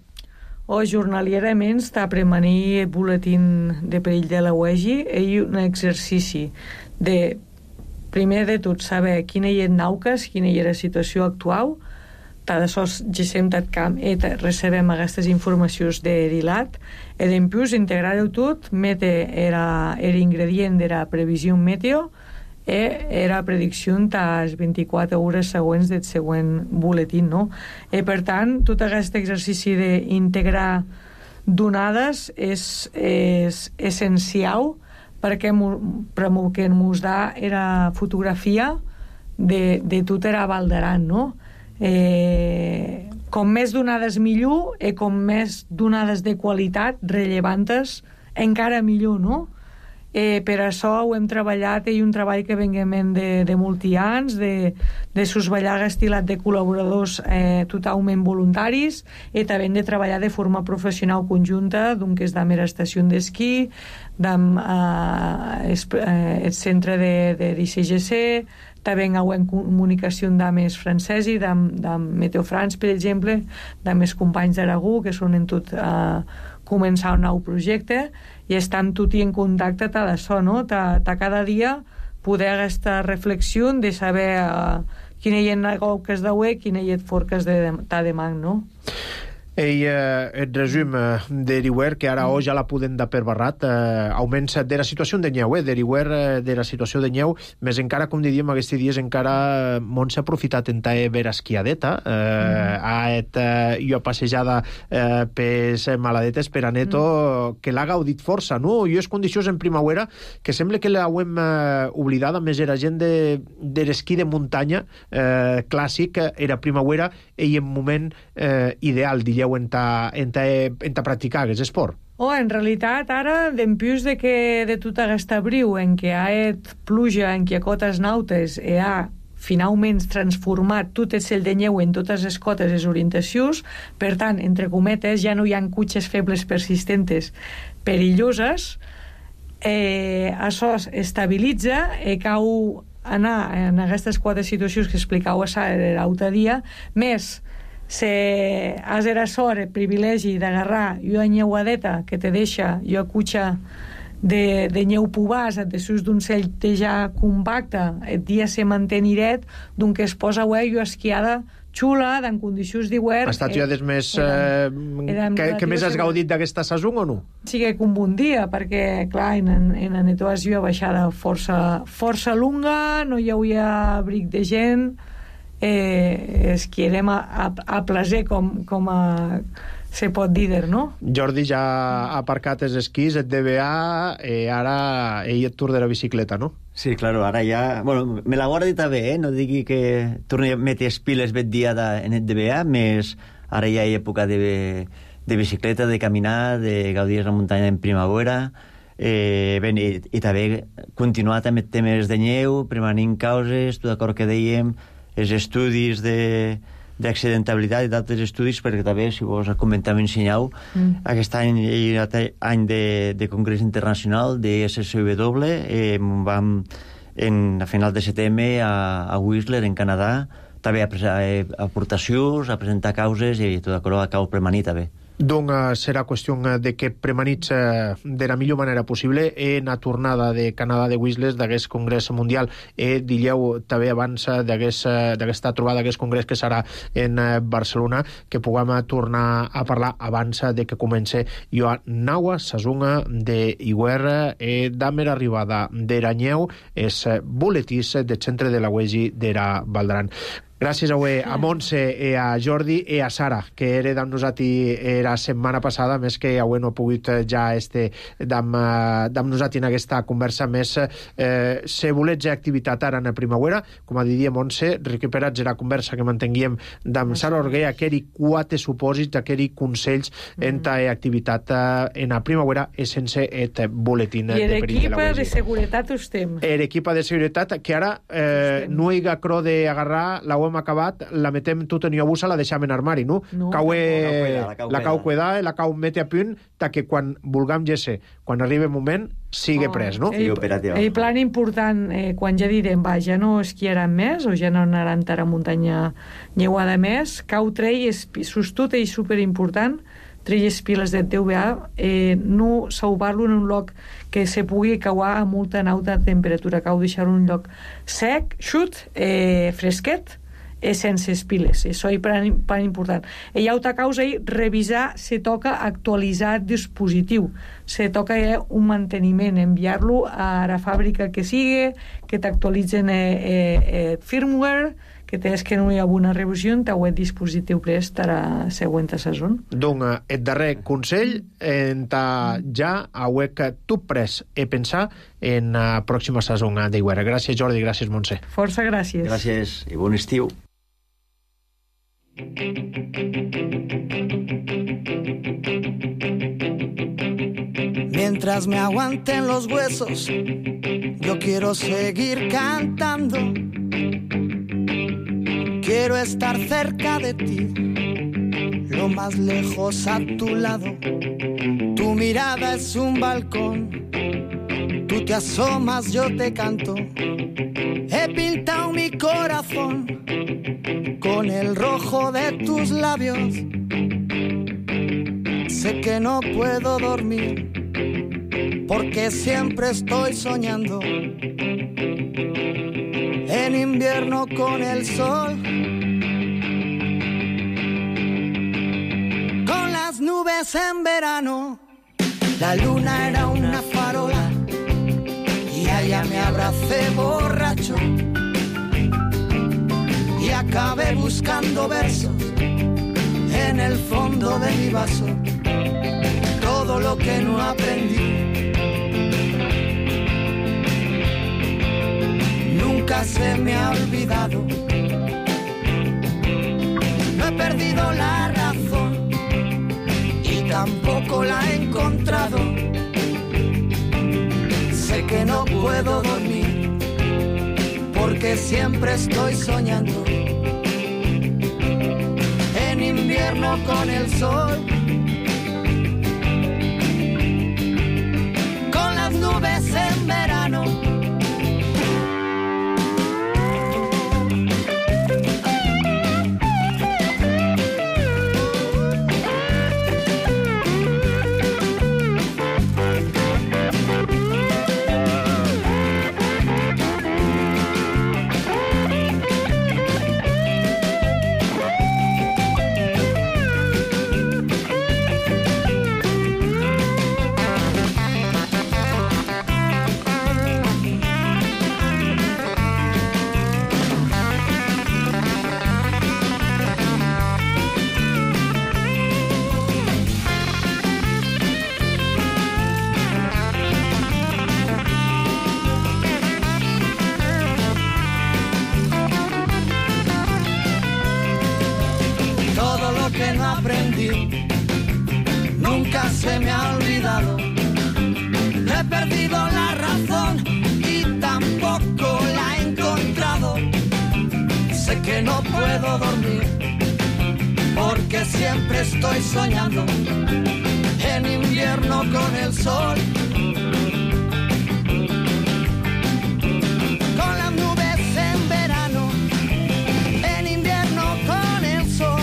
O jornalierament està premanir el boletín de perill de la U E G I i un exercici de primer de tot saber quina hi ha nauques, quina hi ha la situació actual, tant de sols gesem tot camp i recebem aquestes informacions de Rilat, i d'empius integrar-ho tot, mete era, era ingredient de la previsió meteo i era predicció a les vint-i-quatre hores següents del següent boletín, no? I per tant, tot aquest exercici d'integrar donades és, és essencial, perquè que ens da era fotografia de, de tot era Valdaran, no? Eh, com més donades millor, i com més donades de qualitat relevantes, encara millor, no? Eh, per això ho hem treballat, i un treball que venguem de, de molts anys, de, de sosballar estilat de col·laboradors eh, totalment voluntaris, i també de treballar de forma professional conjunta, doncs és d'amera estació d'esquí, d'am eh, el centre de, de d'I C G C, també en comunicació d'ames francesi, d'am Meteo France, per exemple, d'ames companys d'Aragó, que són en tot eh, començar un nou projecte, i estem tot en contacte ta d'això, no? Ta, ta cada dia poder aquesta reflexió de saber uh, quina hi ha que es deu, quina hi ha forques de ta demang, no? Ei, eh, el resum eh, d'Eriwer, que ara mm. ja la podem dar per barrat, eh, augments de la situació de Nyeu, eh, d'Eriwer, eh, de la situació de Nyeu, més encara, com diríem, aquests dies encara Mont s'ha aprofitat en ta vera esquiadeta, eh, mm. ha et eh, jo passejada eh, pes maladetes per a Neto, mm. que l'ha gaudit força, no? I és condicions en primavera que sembla que l'hauem eh, oblidada, més era gent de, de l'esquí de muntanya eh, clàssic, era primavera, i en moment eh, ideal, digueu, en ta, en ta, en ta practicar aquest esport. Oh, en realitat, ara, d'empius de que de tot aquest abril, en què ha et pluja, en què a cotes nautes, i ha finalment transformat tot el cel de neu en totes les cotes, les orientacions, per tant, entre cometes, ja no hi ha cutxes febles persistentes perilloses, eh, això es estabilitza, i cau anar en aquestes quatre situacions que explicau a l'altre dia, més si has era sort, el privilegi d'agarrar jo nyeuadeta que te deixa jo cutxa de, de nyeu pubàs després d'un cell que ja compacte, el dia se manté niret, doncs que es posa ué jo esquiada xula, en condicions d'hivern. Ha estat ja des més... Eh, que, que més has gaudit d'aquesta sason o no? Sí, que com un dia, perquè, clar, en, en la netoació baixada força, força lunga, no hi havia abric de gent, eh, esquiarem a, a, a placer, com, com a se pot dir, no? Jordi ja ha aparcat els esquís, et D B A, i ara ell et tour de la bicicleta, no? Sí, claro, ara ja... Bueno, me la guardi també, eh? No digui que torni a metre espiles bet dia en el D B A, més ara ja hi ha època de, de bicicleta, de caminar, de gaudir la muntanya en primavera, eh, ben, i, i també continuar també temes de nyeu, prevenint causes, tot d'acord que dèiem, els estudis de d'accidentabilitat i d'altres estudis, perquè també, si vos comentàvem, ensenyau, mm. aquest any hi ha any de, de Congrés Internacional de S S W, eh, vam en, a final de setembre a, a Whistler, en Canadà, també a, a, a aportacions, a presentar causes, i tot això acabo premanir també. Doncs serà qüestió de que premanits de la millor manera possible en la tornada de Canadà de Whistles d'aquest congrés mundial e dilleu també abans d'aquesta trobada, d'aquest congrés que serà en Barcelona, que puguem tornar a parlar abans de que comence Joan Naua, sazunga de Iguer e damer arribada d'Eranyeu, és boletís del centre de la U E G d'Era Valdran. Gràcies avui a Montse i a Jordi i a Sara, que era amb nosaltres la setmana passada, més que avui no ha pogut ja este amb, amb nosaltres en aquesta conversa més. Eh, se volets activitat ara en la primavera, com a diria Montse, recuperats la conversa que mantenguíem amb Sara Orguer, aquells quatre supòsits, aquells consells en ta activitat en la primavera i sense et boletín de perill de la U E G. I l'equipa de seguretat estem. L'equipa de seguretat, que ara eh, no hi ha cro d'agarrar la hem acabat, la metem tot en iobusa, la deixam en armari, no? No. Cau La cau la cau cuidar, la cau mete a punt, ta que quan vulguem gesse, quan arribi el moment, sigue Oh, pres, no? Sí, operativa. El plan important, eh, quan ja direm, va, ja no esquiaran més, o ja no anaran a muntanya lleuada més, cau trei, sostut i superimportant, tres piles de T V A, eh, no salvar-lo en un lloc que se pugui cauar a molta alta temperatura, cau deixar-lo en un lloc sec, xut, eh, fresquet, eh, sense piles. Això és tan important. I altra causa és revisar, se toca actualitzar el dispositiu. Se toca eh, un manteniment, enviar-lo a la fàbrica que sigui, que t'actualitzen eh, eh, eh, firmware, que tens que no hi ha una revisió en el dispositiu prest a la següent saison. Donc, el darrer consell, en ta ja auec que tu pres e pensar en la pròxima saison d'Iguera. Gràcies, Jordi, gràcies, Montse. Força gràcies. Gràcies i bon estiu. Mientras me aguanten los huesos, yo quiero seguir cantando. Quiero estar cerca de ti, lo más lejos a tu lado. Tu mirada es un balcón, tú te asomas, yo te canto. He pintado mi corazón con el rojo de tus labios. Sé que no puedo dormir porque siempre estoy soñando. En invierno con el sol, con las nubes en verano. La luna era una farola y allá me abracé borracho y acabé buscando versos en el fondo de mi vaso. Todo lo que no aprendí nunca se me ha olvidado. No he perdido la razón y tampoco la he encontrado. Sé que no puedo dormir porque siempre estoy soñando. En invierno con el sol, con las nubes en verano. Nunca se me ha olvidado. No he perdido la razón y tampoco la he encontrado. Sé que no puedo dormir porque siempre estoy soñando. En invierno con el sol, con las nubes en verano. En invierno con el sol,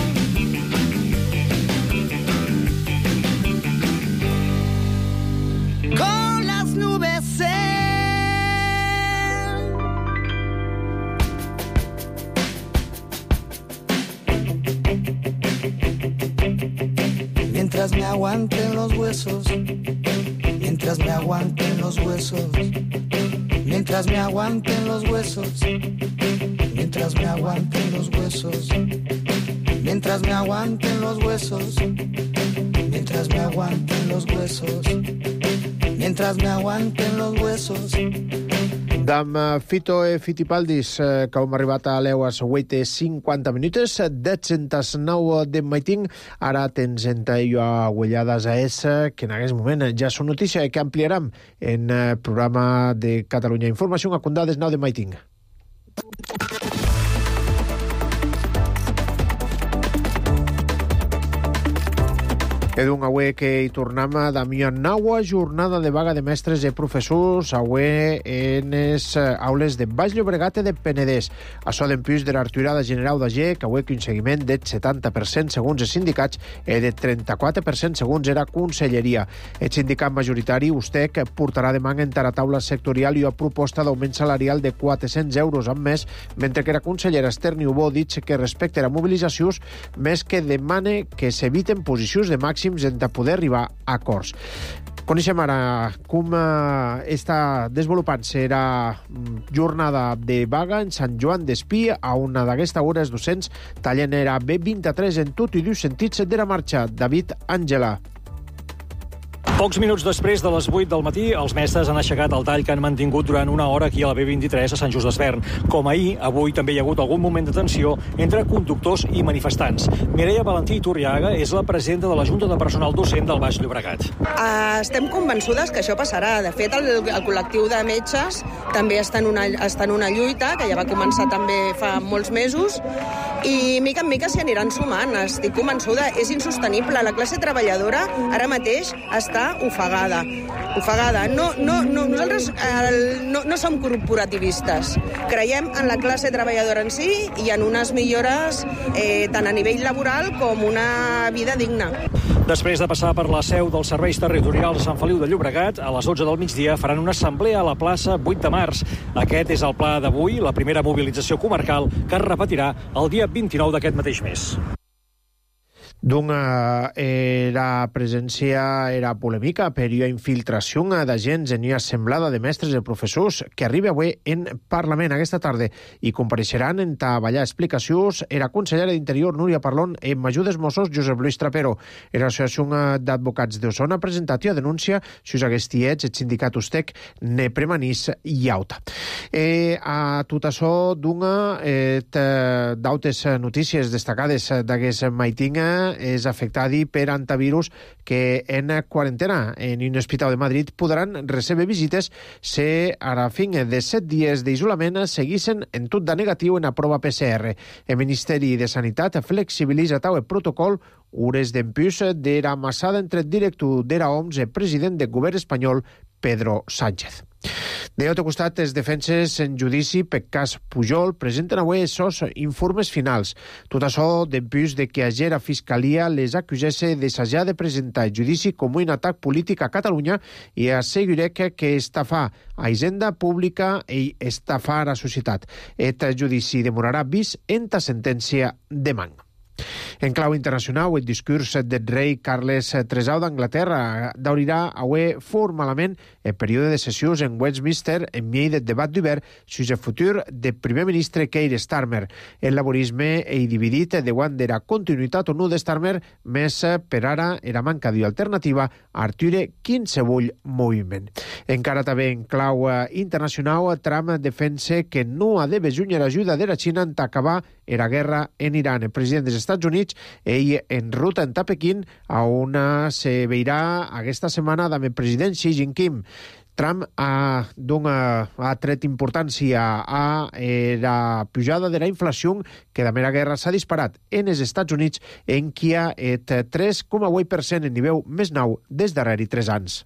aguanten los huesos, mientras me aguanten los huesos, mientras me aguanten los huesos, mientras me aguanten los huesos, mientras me aguanten los huesos, mientras me aguanten los huesos, mientras me aguanten los huesos. D'am Fito e Fitipaldis, que hem arribat a l'eues vuit i cinquanta minuts, deu nou de maiting, ara tens enta jo a Huellades a essa, que en aquest moment ja són notícia que ampliarem en el programa de Catalunya Informació a condades nou de maiting. Edun aué que hi tornem d'ami a naua jornada de vaga de mestres i professors aué en les aules de Baix Llobregat i de Penedès. Açò d'empús de l'arturada general d'Agé, que aué que un seguiment del setanta per cent segons els sindicats i de trenta-quatre per cent segons era conselleria. El sindicat majoritari, U S T E C, portarà demà en la taula sectorial i una proposta d'augment salarial de quatre-cents euros al mes, mentre que la consellera Esther Niubó ha dit que respecte a les mobilitzacions, més que demane que s'eviten posicions de màxim hem de poder arribar a acords. Coneixem ara com eh, està desenvolupant-se la jornada de vaga en Sant Joan d'Espí, a una d'aquestes hores docents tallen era B vint-i-tres en tot i dos sentits de la marxa. David Àngela. Pocs minuts després de les vuit del matí, els mestres han aixecat el tall que han mantingut durant una hora aquí a la B vint-i-tres a Sant Just Desvern. Com ahir, avui també hi ha hagut algun moment de tensió entre conductors i manifestants. Mireia Valentí Iturriaga és la presidenta de la Junta de Personal Docent del Baix Llobregat. Uh, estem convençudes que això passarà. De fet, el, el col·lectiu de metges també està en, una, està en una lluita, que ja va començar també fa molts mesos, i mica en mica s'hi aniran sumant. Estic convençuda, és insostenible. La classe treballadora ara mateix està ofegada. Ofegada. No, no, no, nosaltres eh, no, no som corporativistes. Creiem en la classe treballadora en si i en unes millores eh, tant a nivell laboral com una vida digna. Després de passar per la seu dels serveis territorials a Sant Feliu de Llobregat, a les dotze del migdia faran una assemblea a la plaça vuit de març. Aquest és el pla d'avui, la primera mobilització comarcal que es repetirà el dia vint-i-nou d'aquest mateix mes. D'una eh, la presència era polèmica per la infiltració d'agents en una assemblada de mestres i professors que arriba avui en Parlament aquesta tarda i compareixeran en treballar explicacions era consellera d'Interior Núria Parlon i major dels Mossos Josep Luis Trapero. L'Associació d'Advocats d'Osona ha presentat una denúncia si us hagués tiets el sindicat U S T E C ne premanís i auta. Eh, a tot això d'una eh, d'altres notícies destacades d'aquest maitinga és afectadi per antivirus que en quarantena en un hospital de Madrid podran rebre visites si a la fin de set dies d'isolament seguissin en tot de negatiu en la prova P C R. El Ministeri de Sanitat flexibilitza el protocol hores d'empús de la massada entre el director de la O M S i el president del govern espanyol Pedro Sánchez. De l'altre costat, els defenses en judici per cas Pujol presenten avui els seus informes finals. Tot això d'empús de que ayer la Fiscalia les acusés d'assajar de presentar el judici com un atac polític a Catalunya i asseguré que, que estafar a Hisenda Pública i estafar a la societat. Aquest judici demorarà vist en la sentència de man. En clau internacional, el discurs del rei Carles tercer d'Anglaterra d'obrirà avui formalment el període de sessions en Westminster en mig del debat d'hivern sobre el futur del primer ministre Keir Starmer. El laborisme és dividit davant de la continuïtat o no de Starmer, més per ara era manca d'alternativa a aturar qualsevol moviment. Encara també en clau internacional, Trump defensa que no ha de besunyar l'ajuda de la Xina en acabar la guerra en Iran. El president dels Estats Units, ell en ruta en Pequín, a on se veurà aquesta setmana amb el president Xi Jinping. Trump ha, dona, ha tret importància a eh, la pujada de la inflació que de la guerra s'ha disparat en els Estats Units en qui hi ha el tres coma vuit per cent en nivell més nou des darrere tres anys.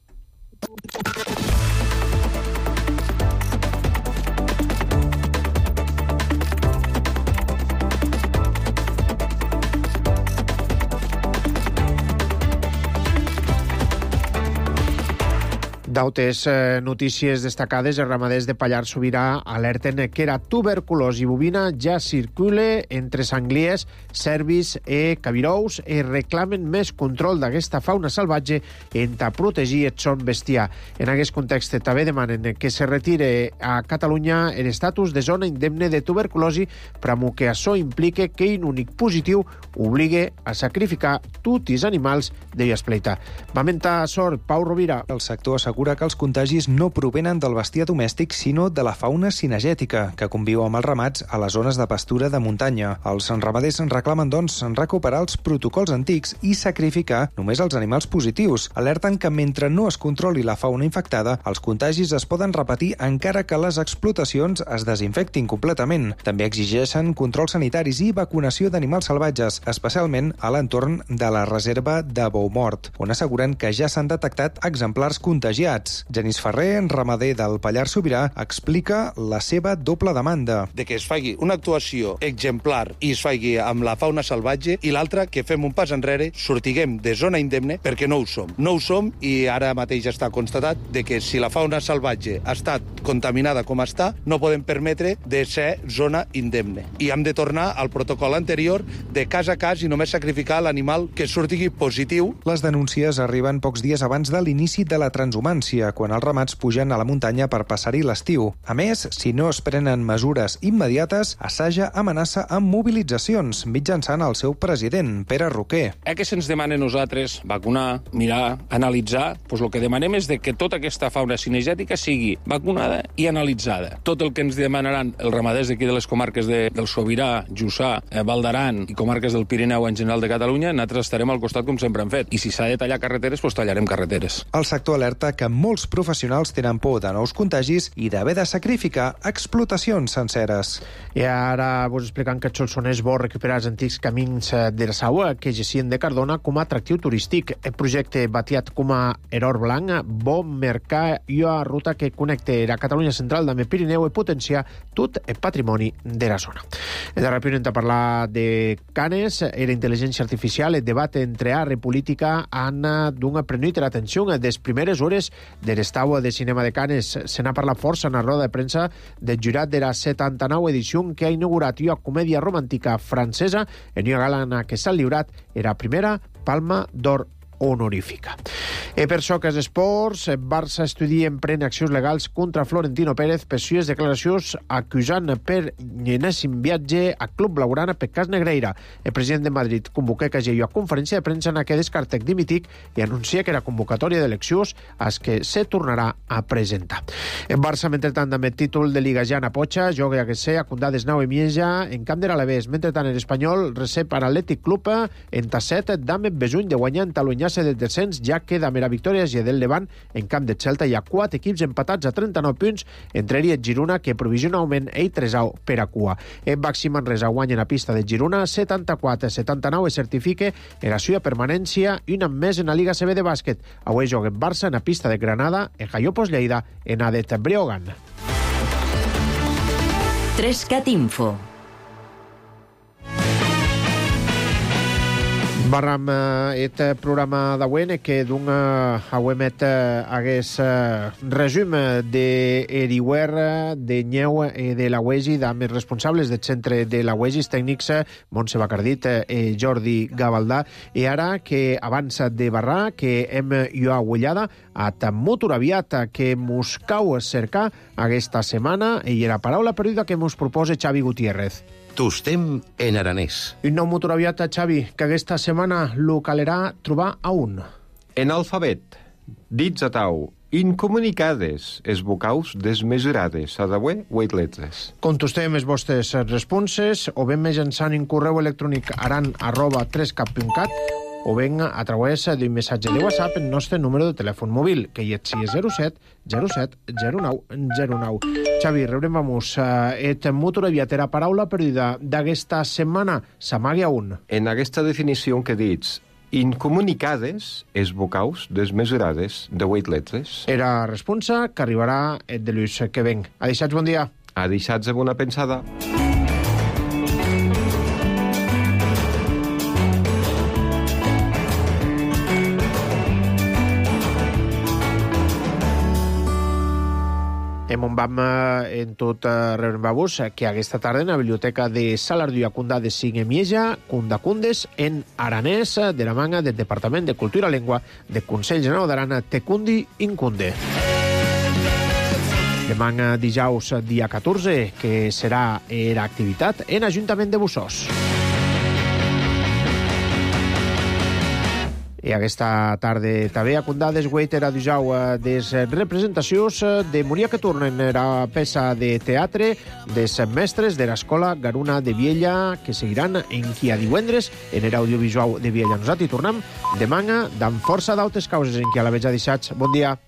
D'altres eh, notícies destacades, els ramaders de Pallars Sobirà alerten que la tuberculosi bovina ja circula entre sangliers, cervis i cabirous i reclamen més control d'aquesta fauna salvatge en ta protegir el son bestiar. En aquest context també demanen que se retire a Catalunya l'estatus de zona indemne de tuberculosi, però que això implique que un únic positiu obligue a sacrificar tots els animals de Viaspleita. Va mentar sort Pau Rovira. El sector assegura que els contagis no provenen del bestiar domèstic, sinó de la fauna cinegètica, que conviu amb els ramats a les zones de pastura de muntanya. Els ramaders reclamen, doncs, recuperar els protocols antics i sacrificar només els animals positius. Alerten que mentre no es controli la fauna infectada, els contagis es poden repetir encara que les explotacions es desinfectin completament. També exigeixen controls sanitaris i vacunació d'animals salvatges, especialment a l'entorn de la reserva de Boumort, on asseguren que ja s'han detectat exemplars contagiats. Genís Ferrer, ramader del Pallars Sobirà, explica la seva doble demanda. De que es faci una actuació exemplar i es faci amb la fauna salvatge, i l'altra, que fem un pas enrere, sortiguem de zona indemne, perquè no ho som. No ho som, i ara mateix està constatat de que si la fauna salvatge ha estat contaminada com està, no podem permetre de ser zona indemne. I hem de tornar al protocol anterior de cas a cas i només sacrificar l'animal que sortigui positiu. Les denúncies arriben pocs dies abans de l'inici de la transhumància, quan els ramats pugen a la muntanya per passar-hi l'estiu. A més, si no es prenen mesures immediates, Assaja amenaça amb mobilitzacions mitjançant el seu president, Pere Roquer. Eh que se'ns demana a nosaltres vacunar, mirar, analitzar? Doncs el que demanem és de que tota aquesta fauna cinegètica sigui vacunada i analitzada. Tot el que ens demanaran els ramaders d'aquí de les comarques de, del Sobirà, Jussà, eh, Val d'Aran i comarques del Pirineu en general de Catalunya, nosaltres estarem al costat com sempre hem fet. I si s'ha de tallar carreteres, doncs tallarem carreteres. El sector alerta que molts professionals tenen por de nous contagis i d'haver de sacrificar explotacions senceres. I ara vos explicant que el Solsonès vol recuperar els antics camins de la Saua que gessien de Cardona com a atractiu turístic. El projecte batiat com a Error Blanc vol marcar una ruta que connecta la Catalunya central amb el Pirineu i potenciar tot el patrimoni de la zona. En darrer punt hem de parlar de Canes i la intel·ligència artificial. El debat entre art i política han donat prenut l'atenció de les primeres hores de l'estau de cinema de Canes. Se n'ha parlat força en la roda de premsa del jurat de la setanta-nou edició que ha inaugurat una comèdia romàntica francesa en una gala en què s'ha lliurat la primera Palma d'Or honorífica. E per això que els esports, Barça estudia en pren accions legals contra Florentino Pérez per sues declaracions acusant per enèsim viatge a Club Blaugrana per cas Negreira. El president de Madrid convoca que hi ha conferència de premsa en què descarta dimitic i anuncia que la convocatòria d'eleccions és que se tornarà a presentar. En Barça, mentretant, amb el títol de Liga Jana Pocha, joga que sé a Condades Nau i Mieja en camp de l'Alavés. Mentretant, l'Espanyol recep a l'Atlètic Club en Tasset d'Ame Besuny de guanyar en Talunyà de descens, ja queda mera victòria i del Levant en camp de Celta. Hi ha quatre equips empatats a trenta-nou punts, entre ells Girona, que provisionalment ell tresau per a cua. En Baxi Manresa guanya a pista de Girona setanta-quatre a setanta-nou i certifica la seva permanència i un any més en la Liga C B de bàsquet. Avui juga en Barça en la pista de Granada, en Jaiopos Lleida, en Adet Breogan. tres cat Info. Barram aquest programa d'avui que d'un auemet hagués resum de Eriwer, de Nyeu i de la U E G I, amb els responsables del centre de la U E G I, tècnics Montse Bacardit i Jordi Gavaldà. I ara que avança de barrar, que hem jo agullada a Motor Aviat, que mos cau cercar aquesta setmana, i la paraula perduda que mos proposa Xavi Gutiérrez. Tostem en aranès. Un nou motor aviat, Xavi, que aquesta setmana lo calerà trobar a un. En alfabet, dits a tau, incomunicades, es vocaus desmesurades, a d'avui, vuit letres. Contestem les vostres responses, o ben mitjançant un correu electrònic aran arroba tres cap punt cat, o ben a través d'un missatge de WhatsApp en el nostre número de telèfon mòbil, que hi és zero set zero set zero nou zero nou. Xavi, rebrem vamos et motor aviat era paraula perduda d'aquesta setmana. S'amaga un. En aquesta definició que dits, incomunicades, es vocaus desmesurades de vuit letres. Era responsa que arribarà et de l'ús que venc. Adeixats, bon dia. Adeixats amb una pensada. En on vam en tot rebrem-vos que aquesta tarda en la biblioteca de Salardiu a Cundà de Cinc-Emieja, Cundacundes, en aranès, de la manga del Departament de Cultura i Llengua de Consell General d'Arana, Tecundi Incunde. Demà dijous, dia catorze, que serà l'activitat en Ajuntament de Bussós. I aquesta tarda també a Cundà desgueiter a dijau des representacions de Moria que tornen la peça de teatre des mestres de l'Escola Garuna de Viella que seguiran en qui a divendres en l'audiovisual de Viella. Nosaltres hi tornem demà d'en força d'altres causes en qui a la veig a deixats. Bon dia.